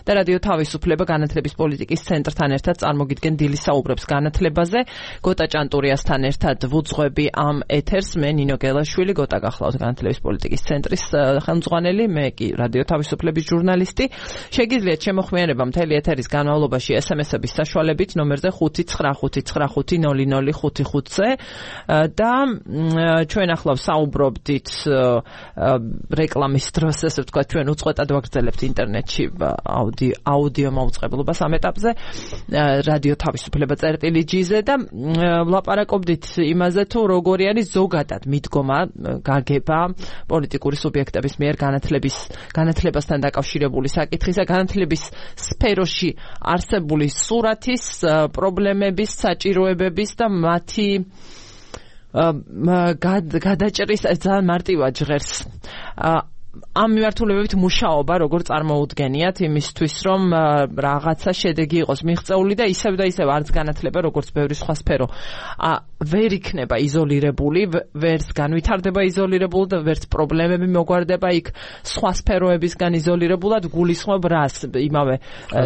და რადიო თავისუფლება განათლების პოლიტიკის ცენტრთან ერთად წარმოგიდგენ დილის საუბრებს განათლებაზე გოტა ჭანტურიასთან ერთად ვუძღვები ამ ეთერს მე ნინო გელაშვილი გოტა გახლავთ განათლების პოლიტიკის ცენტრის ხელმძღვანელი მე კი რადიო თავისუფლების ჟურნალისტი შეგიძლიათ შემოხმიანება მთელი ეთერის განმავლობაში ესემესების საშუალებით ნომერზე ხუთი ცხრა ხუთი ცხრა ხუთი ნული ნული ხუთი ხუთზე და ჩვენ ახლა საუბრობდით რეკლამის დროს ესე ვთქვათ ჩვენ უწყვეტად ვაგრძელებთ ინტერნეტში აუდიო აუდიო მოუწყებლობას ამ ეტაპზე რადიო თავისუფლება წერტილი ჯი-ზე და ვლაპარაკობდით იმაზე თუ როგორი არის ზოგადად მიდგომა გაგება პოლიტიკური სუბიექტების მიერ განათლების განათლებასთან დაკავშირებული საკითხისა განათლების სფეროში არსებული სურათის პრობლემების საჭიროებების და მათი გადაჭრის ძალიან მარტივად ჟღერს ამ მიმართულებებით მუშაობა როგორ წარმოუდგენიათ იმისთვის რომ რაღაცა შედეგი იყოს მიღწეული და ისევ და ისევ არც განათლება როგორც ბევრი სხვა სფერო ვერ იქნება იზოლირებული ვერც განვითარდება იზოლირებულად და ვერც პრობლემები მოგვარდება იქ სხვა სფეროებისგან იზოლირებულად გულისხმობ რას იმავე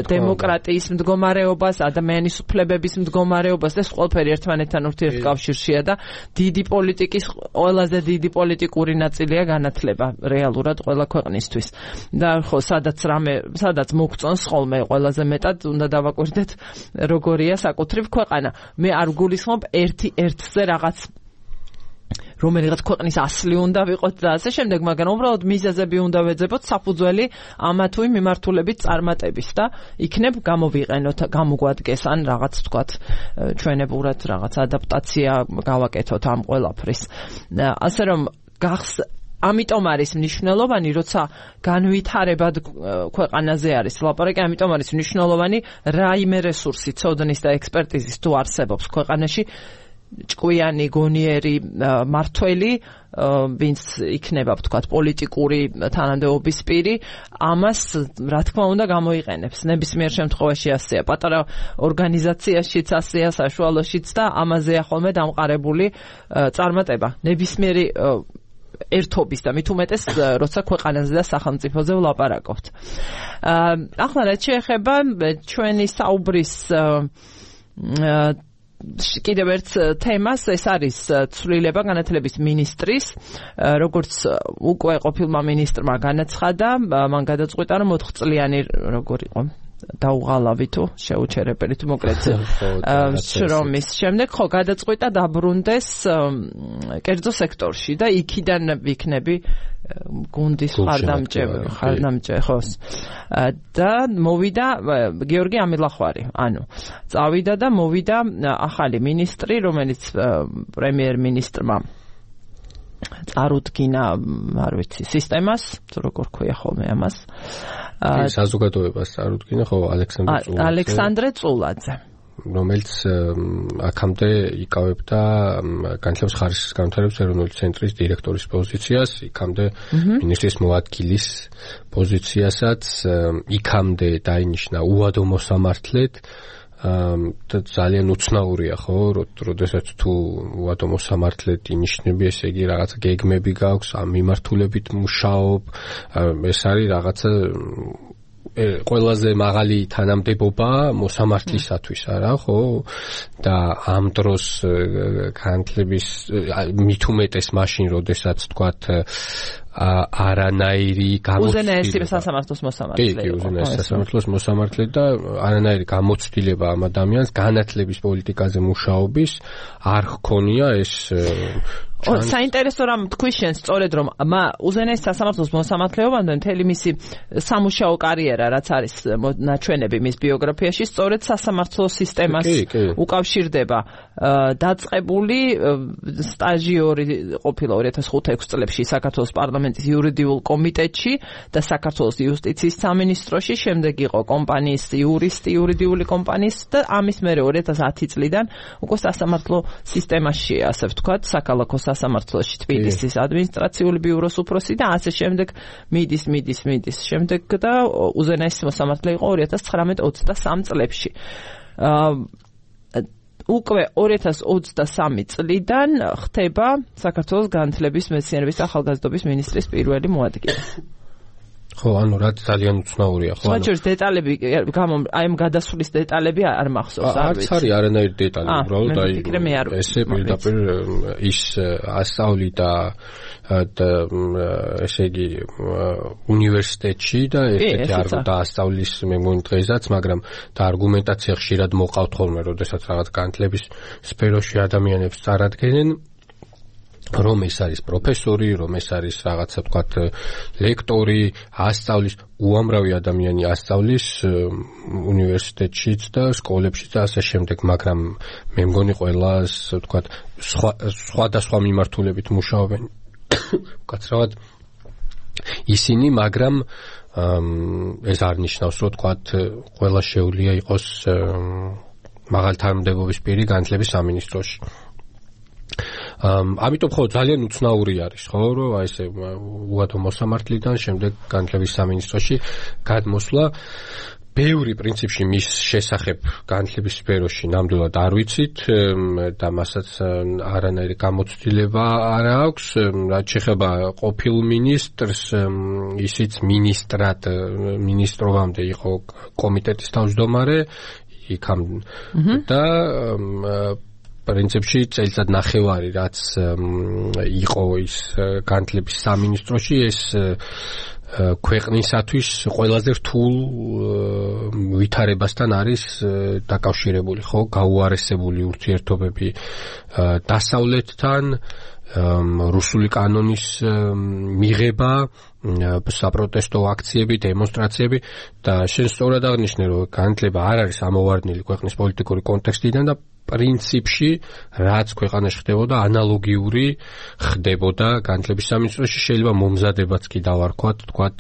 დემოკრატიის მდგომარეობას ადამიანის უფლებების მდგომარეობას და ყველაფერი ერთმანეთთან ურთიერთკავშირშია და დიდი პოლიტიკის ყველაზე დიდი პოლიტიკური ნაწილია განათლება რეალურად ყველა ქვეყნისთვის და ხო სადაც რამე სადაც მოგწონს ხოლმე ყველაზე მეტად უნდა დავაკვირდეთ როგორია საკუთრივ ქვეყანა მე არ გულისხმობ ერთი ერთზე რაღაც რომელიღაც ქვეყნის ასლი უნდა ვიყოთ და ასე შემდეგ მაგრამ უბრალოდ მიზეზები უნდა ვეძებოთ საფუძველი ამა თუ იმ მიმართულებით წარმატების და იქნებ გამოვიყენოთ გამოგვადგეს ან რაღაც ვთქვათ ჩვენებურად რაღაც ადაპტაცია გავაკეთოთ ამ ყველაფრის ასე რომ გახს ამიტომ არის მნიშვნელოვანი, როცა განვითარებად ქვეყანაზე არის ლაპარაკი, ამიტომ არის მნიშვნელოვანი რაიმე რესურსი ცოდნის და ექსპერტიზის თუ არსებობს ქვეყანაში ჭკვიანი გონიერი მართველი ვინც იქნება ვთქვათ პოლიტიკური თანამდებობის პირი ამას რა თქმა უნდა გამოიყენებს ნებისმიერ შემთხვევაში ასეა პატარა ორგანიზაციაშიც ასეა საშუალოშიც და ამაზეა ხოლმე დამყარებული წარმატება ნებისმიერი ერთობის და მით უმეტეს როცა ქვეყანაზე და სახელმწიფოზე ვლაპარაკობთ. ახლა რაც შეეხება ჩვენი საუბრის კიდევ ერთ თემას ეს არის ცვლილება განათლების მინისტრის როგორც უკვე ყოფილმა მინისტრმა განაცხადა მან გადაწყვიტა რომ ოთხ წლიანი როგორ იყო დაუღალავი თუ შეუჩერებელი თუ მოკლედ შრომის შემდეგ ხო გადაწყვიტა დაბრუნდეს კერძო სექტორში და იქიდან ვიქნები გუნდის ხარდამჭერი ხარდამჭერი ხოს და მოვიდა გიორგი ამილახვარი ანუ წავიდა და მოვიდა ახალი მინისტრი რომელიც პრემიერ-მინისტრმა წარუდგინა არ ვიცი სისტემას თუ როგორ ქვია ხოლმე ამას საზოგადოებას წარუდგინა ხო ალექსანდრე წულაძე ალექსანდრე წულაძე რომელიც აქამდე იკავებდა განათლების ხარისხის განვითარების ეროვნული ცენტრის დირექტორის პოზიციას, იქამდე მინისტრის მოადგილის პოზიციასაც, იქამდე დაინიშნა უადო მოსამართლედ. და ძალიან უცნაურია ხო, როდესაც თუ უადო მოსამართლედ ინიშნები, ესე იგი რაღაცა გეგმები გაქვს, ამ მიმართულებით მუშაობ, ეს არის რაღაცა ყველაზე მაღალი თანამდებობა მოსამართლისათვის არა ხო და ამ დროს განათლების მით უმეტეს მაშინ როდესაც თქვათ არანაირი გამოცდილება სასამართლოს მოსამართლე კი, უზენაესი სასამართლოს მოსამართლე და არანაირი გამოცდილება ამ ადამიანს განათლების პოლიტიკაზე მუშაობის არ ჰქონია ეს საინტერესო რამ თქვი შენ სწორედ რომ უზენაესი სასამართლოს მოსამართლეობამდე მთელი მისი სამუშაო კარიერა რაც არის ნაჩვენები მის ბიოგრაფიაში სწორედ სასამართლო სისტემას უკავშირდება დაწყებული სტაჟიორი ყოფილა ორი ათას ხუთი ექვსი წლებში საქართველოს პარლამენტის იურიდიულ კომიტეტში და საქართველოს იუსტიციის სამინისტროში, შემდეგ იყო კომპანიის იურისტი იურიდიული კომპანიის და ამის მერე ორი ათას ათი წლიდან უკვე სასამართლო სისტემაში ასე ვთქვათ საქალაქო სასამართლოში თბილისის ადმინისტრაციული ბიუროს უფროსი და ასე შემდეგ მიდის მიდის მიდის შემდეგ და უზენაესი მოსამართლე იყო ორი ათას ცხრამეტ ოცდასამ წლებში. უკვე ორი ათას ოცდასამი წლიდან ხდება საქართველოს განათლების მეცნიერების და ახალგაზრდობის მინისტრის პირველი მოადგილე. ხო, ანუ რა ძალიან უცნაურია, ხო? საჭიროა დეტალები, აი ამ გადასვლის დეტალები არ მახსოვს, არ ვიცი. არც არის არანაირი დეტალი, უბრალოდ აი ესე პირდაპირ ის ასწავლი და და ესე იგი უნივერსიტეტში და ესეთი არ დაასწავლის მე მგონი დღესაც, მაგრამ და არგუმენტაცია ხშირად მოყავთ ხოლმე, როდესაც რაღაც განათლების სფეროში ადამიანებს წარადგენენ. რომ ეს არის პროფესორი, რომ ეს არის რაღაცა თქვათ ლექტორი, ასწავლის, უამრავი ადამიანი ასწავლის უნივერსიტეტშიც და სკოლებშიც და ასე შემდეგ, მაგრამ მე მგონი ყველას თქვათ სხვადასხვა მიმართულებით მუშაობენ. კაცრავად ისინი, მაგრამ ეს არ ნიშნავს, რომ თქვათ ყველა შეუძლია იყოს მაღალი თანამდებობის პირი განათლების სამინისტროში. ამიტომ ხო ძალიან უცნაური არის ხო რომ აი ესე უადო მოსამართლიდან შემდეგ განათლების სამინისტროში გადმოსვლა ბევრი პრინციპში მის შესახებ განათლების სფეროში ნამდვილად არ ვიცით და მასაც არანაირი გამოცდილება არ აქვს რაც შეეხება ყოფილ მინისტრს ისიც მინისტრად მინისტრობამდე იყო კომიტეტის თავმჯდომარე იქამ და პრინციპში წელიწად ნახევარი რაც იყო ის განათლების სამინისტროში ეს ქვეყნისათვის ყველაზე რთულ ვითარებასთან არის დაკავშირებული ხო გაუარესებული ურთიერთობები დასავლეთთან რუსული კანონის მიღება საპროტესტო აქციები, დემონსტრაციები და შენ სწორად აღნიშნე რომ განათლება არ არის ამოვარდნილი ქვეყნის პოლიტიკური კონტექსტიდან და პრინციპში რაც ქვეყანაში ხდებოდა ანალოგიური ხდებოდა განათლების სამინისტროში შეიძლება მომზადებაც კი დავარქვათ თქვათ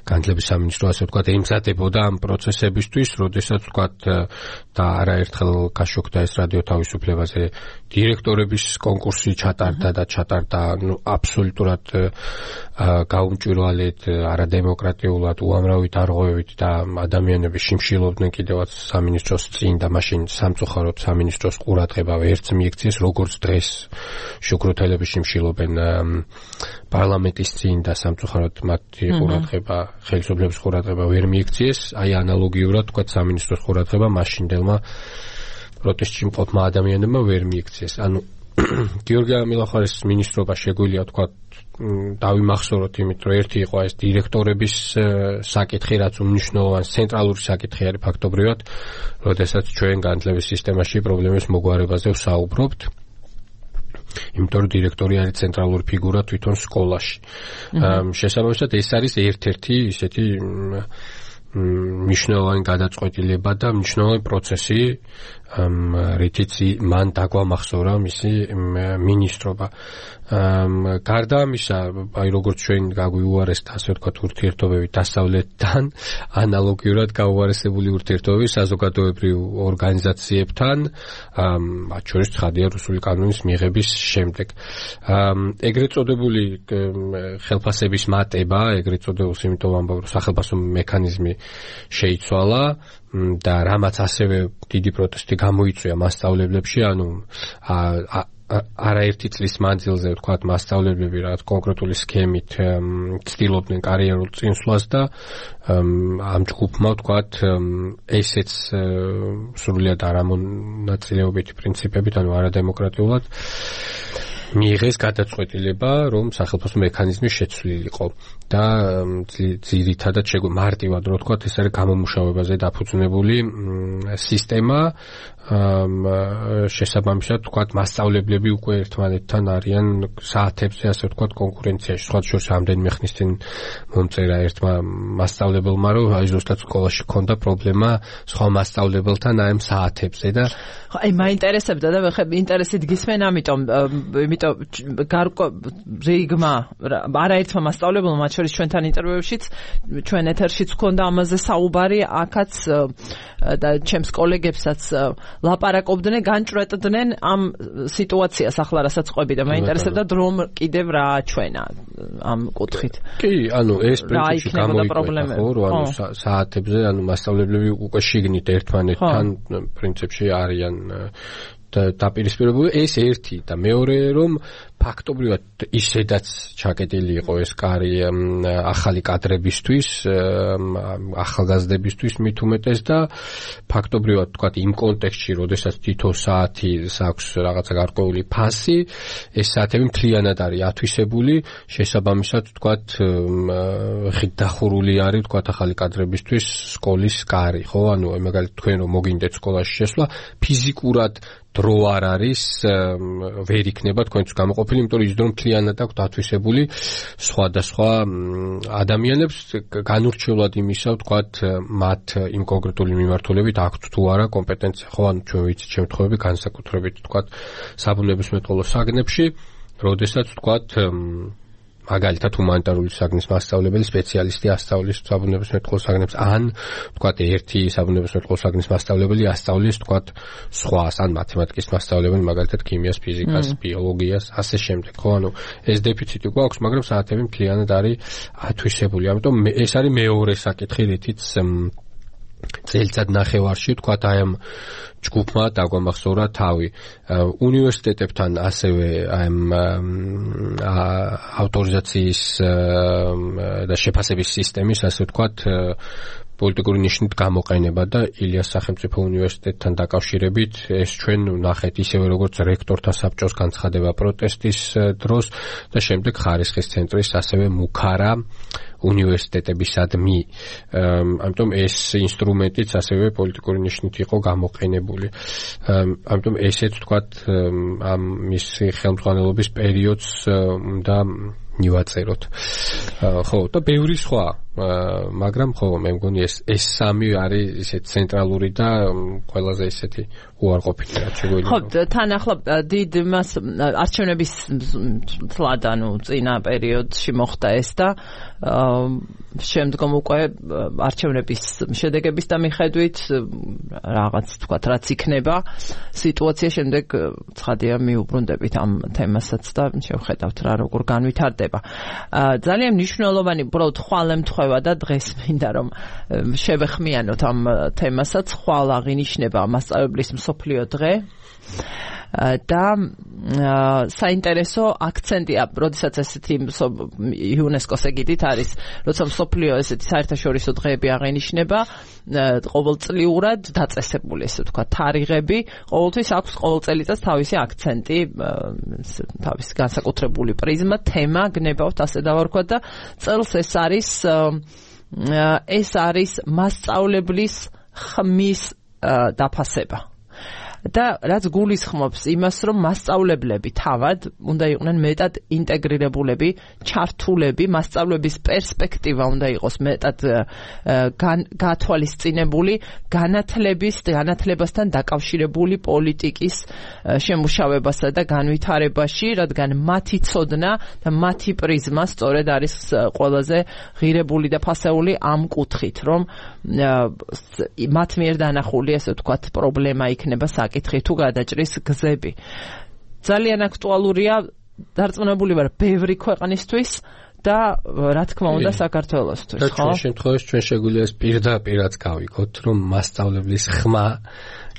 განათლების სამინისტრო ასე ვთქვათ ემზადებოდა ამ პროცესებისთვის, როდესაც ვთქვათ და არაერთხელ გაშოქდა ეს რადიო თავისუფლებაზე დირექტორების კონკურსი ჩატარდა და ჩატარდა ნუ აბსოლუტურად გაუმჭვირვალედ, არადემოკრატიულად, უამრავი დარღვევით და ადამიანები შიმშილობდნენ კიდევაც სამინისტროს წინ და მაშინ სამწუხაროდ სამინისტროს ყურადღება ვერც მიექციეს, როგორც დღეს შუქრუთელები შიმშილობენ პარლამენტის წინ და სამწუხაროდ მათი ყურადღება ხელისუფლების ყურადღება ვერ მიექციეს, აი ანალოგიურად თქვა სამინისტროს ყურადღება მაშინდელმა პროტესტში მყოფმა ადამიანებმა ვერ მიექციეს. ანუ გიორგი ამილახარის მინისტრობა შეგვიძლია თქვა დავიმახსოვროთ იმით, რომ ერთი იყო ეს დირექტორების საკითხი, რაც უმნიშვნელოვანესი ცენტრალური საკითხი არის ფაქტობრივად, როდესაც ჩვენ განათლების სისტემაში პრობლემის მოგვარებაზე ვსაუბრობთ. იმიტომ რომ დირექტორი არის ცენტრალური ფიგურა თვითონ სკოლაში. შესაბამისად ეს არის ერთ-ერთი ისეთი მნიშვნელოვანი გადაწყვეტილება და მნიშვნელოვანი პროცესი, რითიც მან დაგვამახსოვრა მისი მინისტრობა. გარდა ამისა, აი როგორც ჩვენ გაგვიუარესდა, ასე ვთქვათ, ურთიერთობები დასავლეთთან, ანალოგიურად გაუარესებული ურთიერთობები საზოგადოებრივ ორგანიზაციებთან, მათ შორის ცხადია რუსული კანონის მიღების შემდეგ. ეგრეთ წოდებული ხელფასების მატება, ეგრეთ წოდებულს იმიტომ ვამბობ, რომ სახელმწიფო მექანიზმი შეიცვალა და რამაც ასევე დიდი პროტესტი გამოიწვია მასწავლებლებში, ანუ არაერთი წლის მანძილზე ვთქვათ მასწავლებლები რაღაც კონკრეტული სქემით ცდილობდნენ კარიერულ წინსვლას და ამ ჯგუფმა ვთქვათ ესეც სრულიად არამონაწილეობითი პრინციპებით, ანუ არადემოკრატიულად მიიღეს გადაწყვეტილება, რომ სახელმწიფო მექანიზმი შეცვლილიყო და ძირითადად მარტივად რო ვთქვათ, ეს არის გამომუშავებაზე დაფუძნებული სისტემა. შესაბამისად ვთქვათ, მასწავლებლები უკვე ერთმანეთთან არიან საათებზე, ასე ვთქვათ, კონკურენციაში. სხვა შორის რამდენიმე ხნის წინ მომწერა ერთმა მასწავლებელმა, რომ აი ზუსტად სკოლაში ჰქონდა პრობლემა სხვა მასწავლებელთან აი ამ საათებზე და აი მაინტერესებდა და ხე ინტერესით გისმენ, ამიტომ იმიტომ გარკვეულ რიგმა არაერთმა მასწავლებელმა, მათ შორის ჩვენთან ინტერვიუშიც, ჩვენ ეთერშიც ჰქონდა ამაზე საუბარი, აქაც და ჩემს კოლეგებსაც ლაპარაკობდნენ, განჭრეტდნენ ამ სიტუაციას ახლა რასაც ყვები და მაინტერესებდა რომ კიდევ რა ჩვენა ამ კუთხით. კი, ანუ ეს პრინციპი გამოიკვეთა, ხო, რომ ანუ საათებზე, ანუ მასწავლებლები უკვე შიგნით ერთმანეთთან პრინციპში არიან დაპირისპირებული. ეს ერთი და მეორე რომ ფაქტობრივად ისედაც ჩაკეტილი იყო ეს კარი ახალი კადრებისთვის, ახალგაზრდებისთვის მით უმეტეს და ფაქტობრივად ვთქვათ იმ კონტექსტში, როდესაც თითო საათი აქვს რაღაცა გარკვეული ფასი, ეს საათები მთლიანად არის ათვისებული, შესაბამისად ვთქვათ ხით დახურული არის ვთქვათ ახალი კადრებისთვის სკოლის კარი, ხო? ანუ მაგალითად თქვენ რომ მოგინდეთ სკოლაში შესვლა, ფიზიკურად დრო არ არის, ვერ იქნება თქვენთვის გამოყოფილი, იმიტომ რომ ის დრო მთლიანად აქვს დათვისებული სხვადასხვა ადამიანებს, განურჩევლად იმისა, ვთქვათ, მათ იმ კონკრეტული მიმართულებით აქვთ თუ არა კომპეტენცია, ხო, ანუ ჩვენ ვიცით შემთხვევები განსაკუთრებით, ვთქვათ, საბუნებისმეტყველო საგნებში, როდესაც ვთქვათ მაგალითად ჰუმანიტარული საგნის მასწავლებელი სპეციალისტი ასწავლის საბუნებისმეტყველო საგნებს, ან ვთქვათ ერთი საბუნებისმეტყველო საგნის მასწავლებელი ასწავლის ვთქვათ სხვას, ან მათემატიკის მასწავლებელი მაგალითად ქიმიას, ფიზიკას, ბიოლოგიას, ასე შემდეგ, ხო, ანუ ეს დეფიციტი გვაქვს, მაგრამ საათები მთლიანად არის ათვისებული. ამიტომ ეს არის მეორე საკითხი, რითიც წელიწად ნახევარში ვთქვათ აი ამ ჯგუფმა დაგვამახსოვრა თავი. უნივერსიტეტებთან ასევე აი ამ ავტორიზაციის და შეფასების სისტემის, ასე ვთქვათ, პოლიტიკური ნიშნით გამოყენება და ილიას სახელმწიფო უნივერსიტეტთან დაკავშირებით ეს ჩვენ ნახეთ ისევე როგორც რექტორთა საბჭოს განცხადება პროტესტის დროს და შემდეგ ხარისხის ცენტრის ასევე მუქარა უნივერსიტეტებისადმი. ამიტომ ეს ინსტრუმენტიც ასევე პოლიტიკური ნიშნით იყო გამოყენებული. ამიტომ ესეც ვთქვათ ამ მისი ხელმძღვანელობის პერიოდს და ნივაწეროთ. ხო, და ბევრი სხვა, მაგრამ ხო, მე მგონი ეს ეს სამი არის ისეთ ცენტრალური და ყველაზე ისეთი უარყოფითი რაც შეგვიძლია. ხო, თან ახლა დიდ მას არჩევნების თლად, ანუ წინა პერიოდში მოხდა ეს და შემდგომ უკვე არჩევნების შედეგების და მიხედვით რაღაც თქვათ რაც იქნება სიტუაცია, შემდეგ ცხადია მიუბრუნდებით ამ თემასაც და შევხედავთ რა როგორ განვითარდება. ძალიან მნიშვნელოვანი უბრალოდ ხვალემთხვევა და დღეს მინდა რომ შევეხმიანოთ ამ თემასაც. ხვალ აღინიშნება მასწავლებლის მსოფლიო დღე და საინტერესო აქცენტია, როდესაც ესეთი იუნესკოს ეგიდით არის, როცა მსოფლიო ესეთი საერთაშორისო დღეები აღინიშნება, ყოველწლიურად დაწესებული, ესე ვთქვათ, თარიღები, ყოველთვის აქვს ყოველ წელიწადს თავისი აქცენტი, თავისი განსაკუთრებული პრიზმა, თემა, გნებავთ, ასე დავარქვათ და წელს ეს არის ეს არის მასწავლებლის ხმის დაფასება. და რაც გულისხმობს იმას, რომ მასწავლებლები თავად უნდა იყვნენ მეტად ინტეგრირებულები, ჩართულები, მასწავლების პერსპექტივა უნდა იყოს მეტად გათვალისწინებული, განათლების, განათლებასთან დაკავშირებული პოლიტიკის შემუშავებასა და განვითარებაში, რადგან მათი ცოდნა და მათი პრიზმა სწორედ არის ყველაზე ღირებული და ფასეული ამ კუთხით, რომ მათ მიერ დანახული, ასე ვთქვათ, პრობლემა იქნება საკითხი თუ გადაჭრის გზები. ძალიან აქტუალურია, დარწმუნებული ვარ, ბევრი ქვეყნისთვის და რა თქმა უნდა საქართველოსთვის, ხო? ჩვენ შემთხვევაში ჩვენ შეგვიძლია პირდაპირაც გავიგოთ, რომ მასწავლებლის ხმა,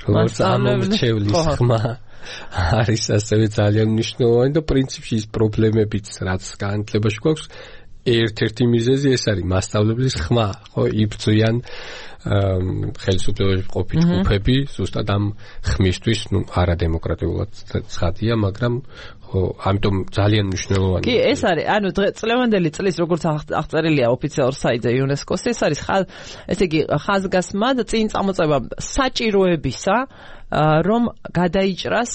როგორც ამომრჩევლის ხმა არის ასევე ძალიან მნიშვნელოვანი და პრინციპში ის პრობლემებიც, რაც განათლებაში გვაქვს, ერთ-ერთი მიზეზი ეს არის მასწავლებლის ხმა, ხო, იბრძვიან ხელისუფლებაში ყოფილი ჯგუფები, ზუსტად ამ ხმისთვის, ну, არადემოკრატიულად ცხადია, მაგრამ ხო, ამიტომ ძალიან მნიშვნელოვანია. კი, ეს არის, ანუ წლევანდელი წლის როგორც აღწერილია ოფიციალურ საიტზე იუნესკოს, ეს არის, ესე იგი, ხაზგასმა და წინ წამოწევა საჭიროებისა, რომ გადაიჭრას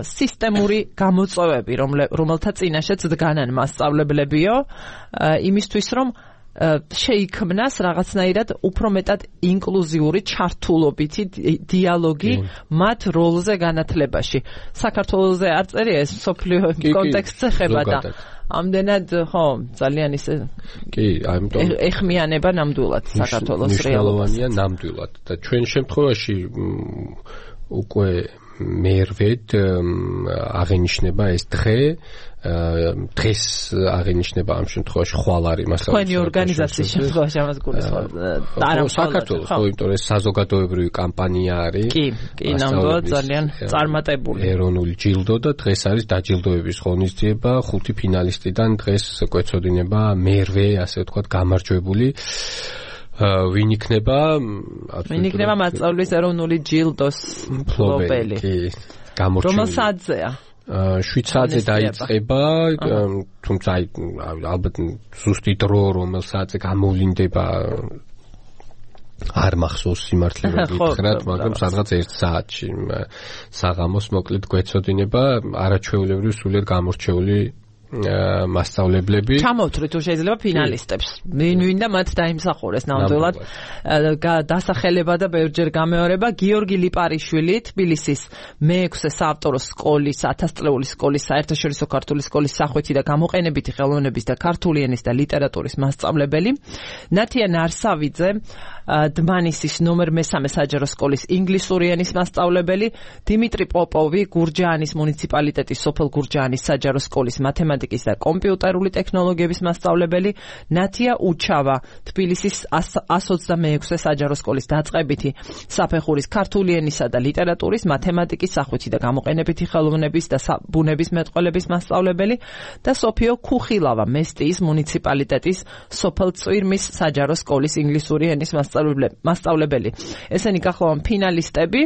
სისტემური გამოწვევები, რომელთა წინაშეც დგანან მასწავლებლებიო, იმისთვის, რომ შეიქმნას რაღაცნაირად უფრო მეტად ინკლუზიური ჩართულობითი დიალოგი მათ როლზე განათლებაში. საქართველოზე არ წერია ეს მსოფლიო კონტექსტზე ხება და ამდენად ხო ძალიან ისე კი, ამიტომ ეხმიანება ნამდვილად საქართველოს რეალობას. მნიშვნელოვანია ნამდვილად და ჩვენ შემთხვევაში უკვე მერვედ აღენიშნება ეს დღე დღეს აღენიშნება ამ შემთხვევაში ხვალ არის მასალა. თქვენი ორგანიზაციის შემთხვევაში ამას გულისხმობ. არა საქართველოს, ხო, იმიტომ რომ საზოგადოებრივი კამპანია არის. კი, კი, ნამდვილად ძალიან წარმატებული. ეროვნული ჯილდო და დღეს არის დაჯილდოების ღონისძიება, ხუთი ფინალისტიდან დღეს გვეცოდინება მერვე, ასე ვთქვათ, გამარჯვებული. ვინ იქნება? ვინ იქნება მასწავლებლის ეროვნული ჯილდოს მფლობელი? კი, გამორჩეული. რომელ საათზეა? შვიდ საათზე დაიწყება, თუმცა ალბათ ზუსტი დრო რომელ საათზე გამოვლინდება არ მახსოვს სიმართლე გითხრათ, მაგრამ სადღაც ერთ საათში საღამოს მოკლედ გვეცოდინება არაჩვეულებრივ სულიად გამორჩეული მასწავლებლები. ჩამოვთვლით თუ შეიძლება ფინალისტებს. ვინ ვინ და მათ დაიმსახურეს ნამდვილად. დასახელება და ბევრჯერ გამეორება გიორგი ლიპარიშვილი, თბილისის მეექვსე საავტორო სკოლის, ათასწლეული სკოლის, საერთაშორისო ქართული სკოლის სახვეთი და გამოყენებითი ხელოვნების და ქართული ენის და ლიტერატურის მასწავლებელი. ნათია ნარსავიძე, დმანისის ნომერ მესამე საჯარო სკოლის ინგლისური ენის მასწავლებელი, დიმიტრი პოპოვი, გურჯაანის მუნიციპალიტეტის სოფელ გურჯაანის საჯარო სკოლის მათემატიკის და კომპიუტერული ტექნოლოგიების მასწავლებელი, ნათია უჩავა, თბილისის ას ოცდამეექვსე საჯარო სკოლის დაწყებითი საფეხურის ქართული ენისა და ლიტერატურის, მათემატიკის, სახვითი და გამოყენებითი ხელოვნების და ბუნების მეტყველების მასწავლებელი და სოფიო ქუხილავა, მესტიის მუნიციპალიტეტის სოფელ წვირმის საჯარო სკოლის ინგლისური ენის მასწავლებელი. ესენი გახლავენ ფინალისტები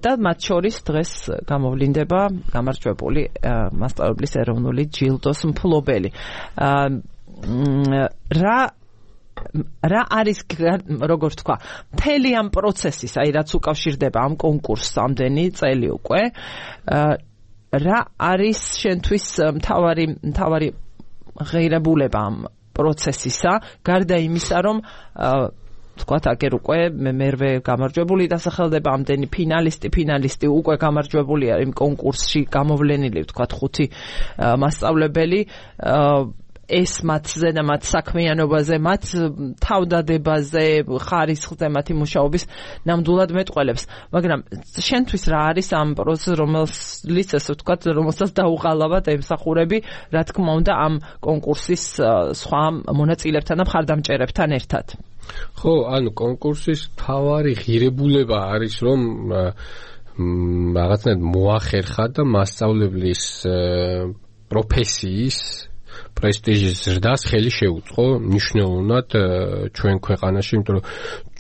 და მათ შორის დღეს გამოვლინდება გამარჯვებული მასწავლებლის ეროვნული ჯილდოს მფლობელი. რა რა არის, როგორც თქვა, მთელი ამ პროცესის, აი რაც უკავშირდება ამ კონკურსს ამდენი წელი უკვე, რა არის შენთვის მთავარი მთავარი ღირებულება ამ პროცესისა, გარდა იმისა, რომ თქვათ, აგერ უკვე მერვე გამარჯვებული დასახელდება, ამდენი ფინალისტი, ფინალისტი უკვე გამარჯვებულია იმ კონკურსში გამოვლენილი, თქვათ, ხუთი მასწავლებელი, ეს მათზე და მათ საქმიანობაზე, მათ თავდადებაზე, ხარისხზე, მათი მუშაობის ნამდვილად მეტყველებს. მაგრამ შენთვის რა არის ამ პროცესს, რომელსაც, ასე ვთქვათ, რომელსაც დაუყალავად ემსახურები, რა თქმა უნდა, ამ კონკურსის სხვა მონაწილეებთან და მხარდამჭერებთან ერთად? ხო, ანუ კონკურსის მთავარი ღირებულება არის, რომ რაღაცნაირად მოახერხა და მასწავლებლის პროფესიის პრესტიჟის ზრდას ხელი შეუწყო მნიშვნელოვნად ჩვენ ქვეყანაში, იმიტომ რომ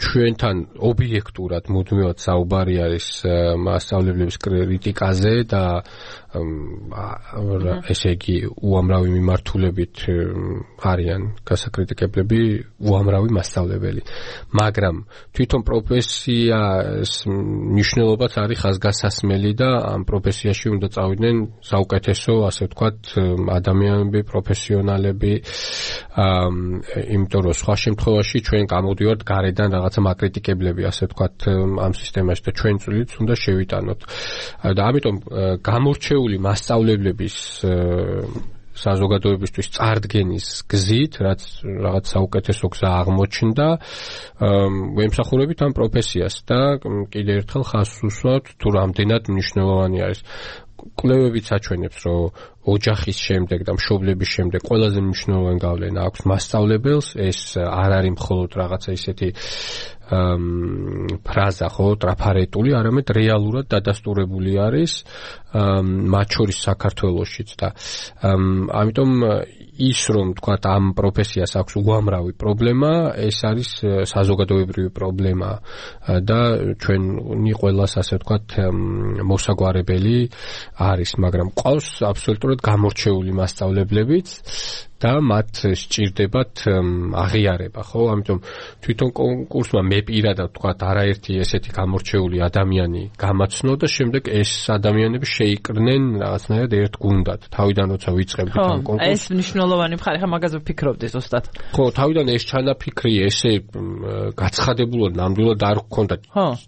ჩვენთან ობიექტურად მუდმივად საუბარი არის მასწავლებლების კრიტიკაზე და ესე იგი უამრავი მიმართულებით არიან გასაკრიტიკებლები უამრავი მასწავლებელი, მაგრამ თვითონ პროფესიას მნიშვნელობაც არის ხაზგასასმელი და ამ პროფესიაში უნდა წავიდნენ საუკეთესო, ასე ვთქვათ, ადამიანები, პროფესიონალები, იმიტომ რომ სხვა შემთხვევაში ჩვენ გამოდივართ გარედან რაღაცა მაკრიტიკებლები, ასე ვთქვათ, ამ სისტემაში და ჩვენ წვლილიც უნდა შევიტანოთ. და ამიტომ გამორჩეული მასწავლებლების საზოგადოებისთვის წარდგენის გზით, რაც რაღაც საუკეთესო გზა აღმოჩნდა, ვემსახურებით ამ პროფესიას და კიდევ ერთხელ ხაზს უსვამთ თუ რამდენად მნიშვნელოვანი არის. კვლევებიც აჩვენებს, რომ ოჯახის შემდეგ და მშობლების შემდეგ ყველაზე მნიშვნელოვანი გავლენა აქვს მასწავლებელს, ეს არ არის მხოლოდ რაღაცა ისეთი ფრაზა, ხო, ტრაფარეტული, არამედ რეალურად დადასტურებული არის მათ შორის საქართველოშიც და ამიტომ ის რომ თქვათ ამ პროფესიას აქვს უამრავი პრობლემა, ეს არის საზოგადოებრივი პრობლემა და ჩვენი ყველას ასე ვთქვათ მოსაგვარებელი არის, მაგრამ ყავს აბსოლუტურად გამორჩეული მასწავლებლებიც და მათ სჭირდებათ აღიარება, ხო? ამიტომ თვითონ კონკურსმა მე პირადად ვთქვათ არაერთი ესეთი გამორჩეული ადამიანი გამაცნო და შემდეგ ეს ადამიანები შეიკრნენ რაღაცნაირად ერთ გუნდად. თავიდან როცა ვიწყებდით ამ კონკურსს. ეს მნიშვნელოვანი მხარე, ხა მაგაზე ვფიქრობდი ზუსტად. ხო, თავიდან ეს ჩანაფიქრი ესე გაცხადებულად ნამდვილად არ გქონდა.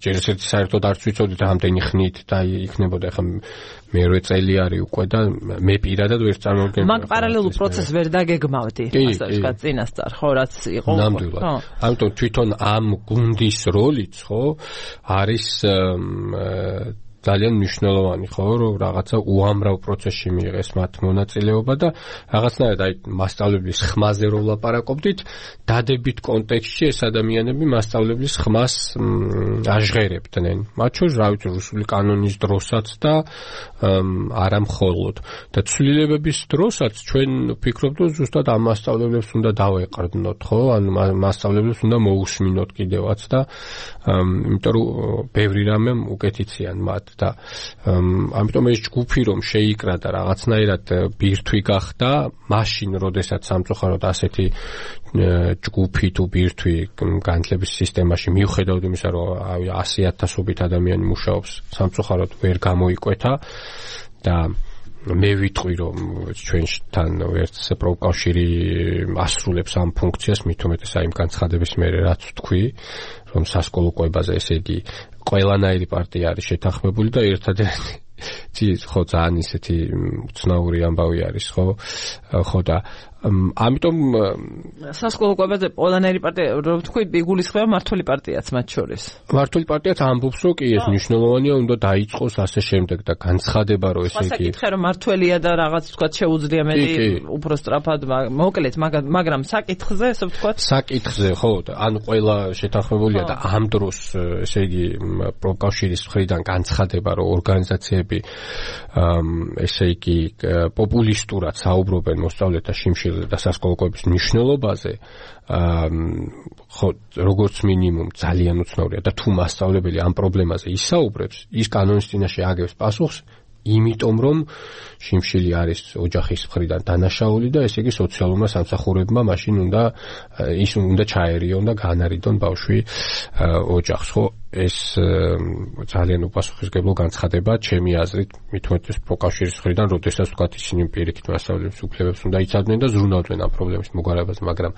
ჯერ ერთი საერთოდ არც ვიცოდით რამდენი ხნით და იქნებოდა ხა მერვე წელი არის უკვე და მე პირადად ვერ წარმოვიდგენდი. მაგ პარალელურ პროცესს ვერ დაგეგმავდი, ასე ვთქვათ, წინასწარ, ხო, რაც იყო. ნამდვილად. ამიტომ თვითონ ამ გუნდის როლიც, ხო, არის ძალიან მნიშვნელოვანი, ხო, რომ რაღაცა უამრავ პროცესში მიიღეს მათ მონაწილეობა და რაღაცნაირად აი მასწავლებლის ხმაზე რო ვლაპარაკობდით, დადებით კონტექსტში ეს ადამიანები მასწავლებლის ხმას აჟღერებდნენ. მათ შორის, რა ვიცი, რუსული კანონის დროსაც და არა მხოლოდ. და ცვლილებების დროსაც ჩვენ ვფიქრობთ, რომ ზუსტად ამ მასწავლებლებს უნდა დავეყრდნოთ, ხო? ან მასწავლებლებს უნდა მოусმინოთ კიდევაც და იმიტომ რომ ბევრი რამე უკეთიციან მათ და ამიტომ ეს ჯგუფი რომ შეიკრა და რაღაცნაირად ბირთვი გახდა, მაშინ როდესაც სამწუხაროდ ასეთი ჯგუფი თუ ბირთვი განათლების სისტემაში მიუხედავად იმისა, რომ ასი ათასობით ადამიანი მუშაობს, სამწუხაროდ ვერ გამოიკვეთა და მე ვიტყვი რომ ჩვენთან ვერც პროფკავშირი ასრულებს ამ ფუნქციას, მით უმეტეს აი იმ განცხადების მერე რაც ვთქვი, რომ სასკოლო კვებაზე ესე იგი ყველანაირი პარტია არის შეთანხმებული და ერთადერთი ხო ძალიან ისეთი უცნაური ამბავი არის, ხო? ხო და ამიტომ სასკოლო კვებაზე ყველანაირი პარტია, რომ თქვი, იგულისხმება მართული პარტიაც მათ შორის. მართული პარტიაც ამბობს, რომ კი ეს მნიშვნელოვანია, უნდა დაიწყოს ასე შემდეგ და განცხადება, რომ ესე იგი. საკითხი რომ მართველია და რაღაც ვთქვათ შეუძლია მეტი უფრო სწრაფად, მოკლედ, მაგრამ საკითხზე, ასე ვთქვათ. საკითხზე, ხო, ან ყველა შეთანხმებულია და ამ დროს ესე იგი პროფკავშირის მხრიდან განცხადება, რომ ორგანიზაციები ესე იგი პოპულისტურად საუბრობენ მოსწავლეთა შიმშილ და სასკოლო კვების მნიშვნელობაზე, ხო, როგორც მინიმუმ ძალიან უცნაურია და თუ მასწავლებელი ამ პრობლემაზე ისაუბრებს, ის კანონის წინაშე აგებს პასუხს, იმიტომ რომ შიმშილი არის ოჯახის მხრიდან დანაშაული და ესე იგი სოციალურმა სამსახურებმა მაშინ უნდა ის უნდა ჩაერიონ და განარიდონ ბავშვი ოჯახს, ხო? ეს ძალიან უპასუხისმგებლო განცხადება ჩემი აზრით, მით უმეტეს პროფკავშირის მხრიდან, როდესაც ვთქვათ ისინი პირიქით მასწავლებლის უფლებებს უნდა იცავდნენ და ზრუნავდნენ ამ პრობლემის მოგვარებას, მაგრამ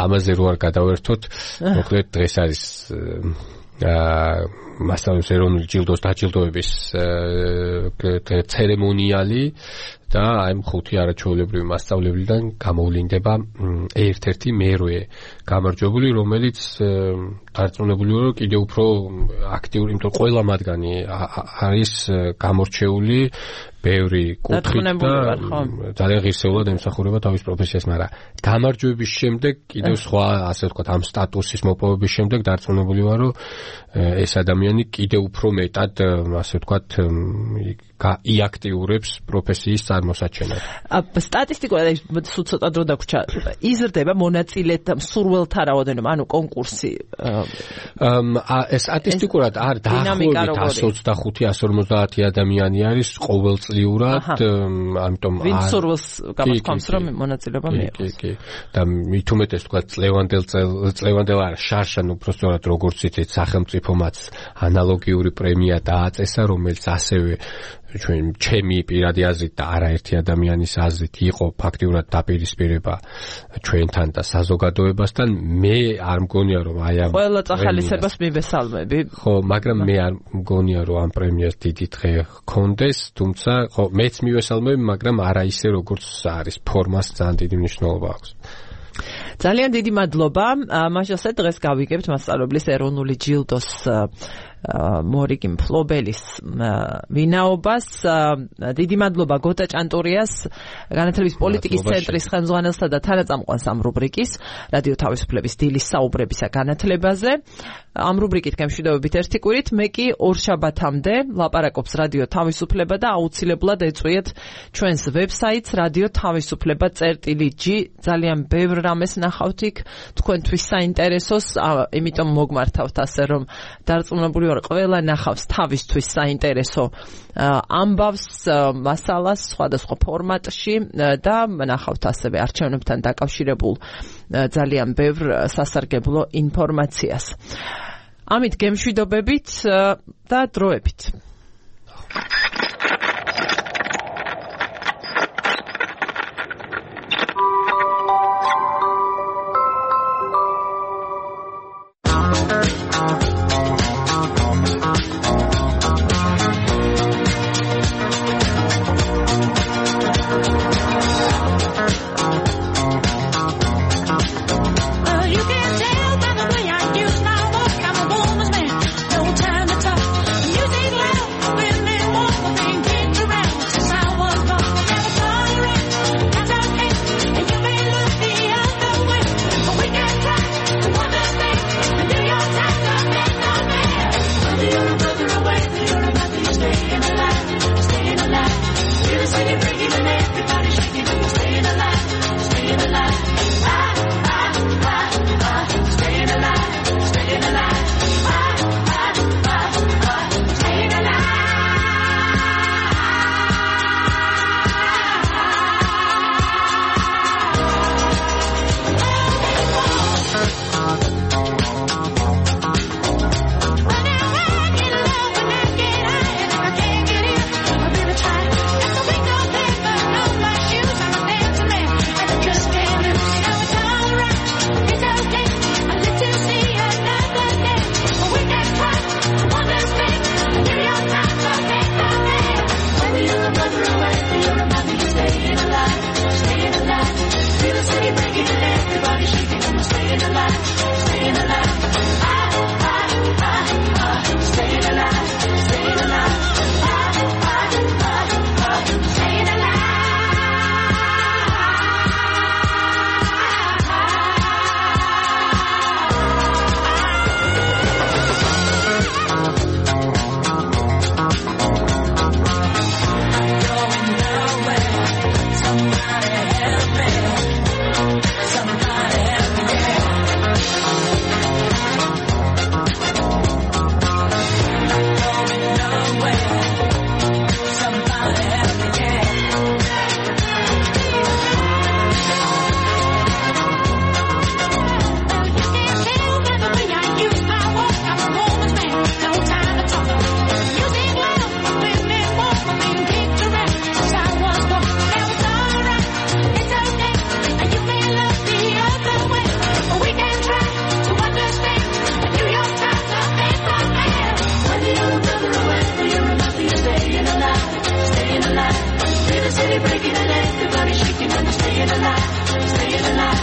ამაზე რო არ გადავერთოთ, მოკლედ დღეს არის მასწავლებლების ეროვნული ჯილდოს დაჯილდოების ცერემონიალი და აი ხუთი არაჩვეულებრივი მასწავლებლიდან გამოვლინდება ერთ-ერთი მერვე გამარჯვებული, რომელიც დარწმუნებულია, რომ კიდევ უფრო აქტიური, იმიტომ ყველა მათგანი არის გამორჩეული ბევრი კუთხით და ძალიან ღირსეულად ემსახურება თავის პროფესიას, მაგრამ გამარჯვების შემდეგ კიდევ სხვა, ასე ვთქვათ, ამ სტატუსის მოპოვების შემდეგ დარწმუნებული ვარ, რომ ეს ადამიანი კიდევ უფრო მეტად, ასე ვთქვათ, იაქტიურებს პროფესიის არ მოსაჩენად. სტატისტიკურად სულ ცოტა დრო დაგვრჩა. იზრდება მონაწილეთა მსურველთა რაოდენობა, ანუ კონკურსი. ეს სტატისტიკურად არ დაახლოებით εκατს ოცდახუთი εκατს ორმოცდაათი ადამიანი არის ყოველწლიურად, ამიტომ ვინ მსურველს გამოთქვამს რომ მონაწილეობა მიიღოს. კი, კი. და მით უმეტეს თქვა წლევანდელ წლევანდელ არ შარშან უბრალოდ როგორც იცით სახელმწიფომაც ანალოგიური პრემია დააწესა, რომელიც ასევე ჩვენ ჩემი პირადი აზრით და არაერთი ადამიანის აზრით იყო ფაქტიურად დაპირისპირება ჩვენთან და საზოგადოებასთან. მე არ მგონია რომ აი ამ ყველა წახალისებას მივესალმები. ხო, მაგრამ მე არ მგონია რომ ამ პრემიას დიდი დღე ჰქონდეს, თუმცა ხო მეც მივესალმები, მაგრამ არა ისე როგორც არის ფორმას ძალიან დიდი მნიშვნელობა აქვს. ძალიან დიდი მადლობა. მაშასე დღეს გავიგებთ მასწავლებლის ეროვნული ჯილდოს მორიგი მფლობელის ვინაობას. დიდი მადლობა გოტა ჭანტურიას, განათლების პოლიტიკის ცენტრის ხელმძღვანელსა და თანაწამყვანს ამ რუბრიკის რადიო თავისუფლების დილის საუბრებისა განათლებაზე. ამ რუბრიკით გემშვიდობებით ერთი კვირით, მე კი ორშაბათამდე ლაპარაკობს რადიო თავისუფლება და აუცილებლად ეწვიეთ ჩვენს ვებსაიტს რადიო თავისუფლება წერტილი ჯი. ძალიან ბევრ რამეს ნახავთ იქ თქვენთვის საინტერესოს, იმიტომ მოგმართავთ ასე რომ დარწმუნებული ვარ ყველა ნახავს თავისთვის საინტერესო ამბავს, მასალას სხვადასხვა ფორმატში და ნახავთ ასევე არჩევნებთან დაკავშირებულ ძალიან ბევრ სასარგებლო ინფორმაციას. ამით გემშვიდობებით და დროებით. Breaking and everybody shaking and staying alive, staying alive.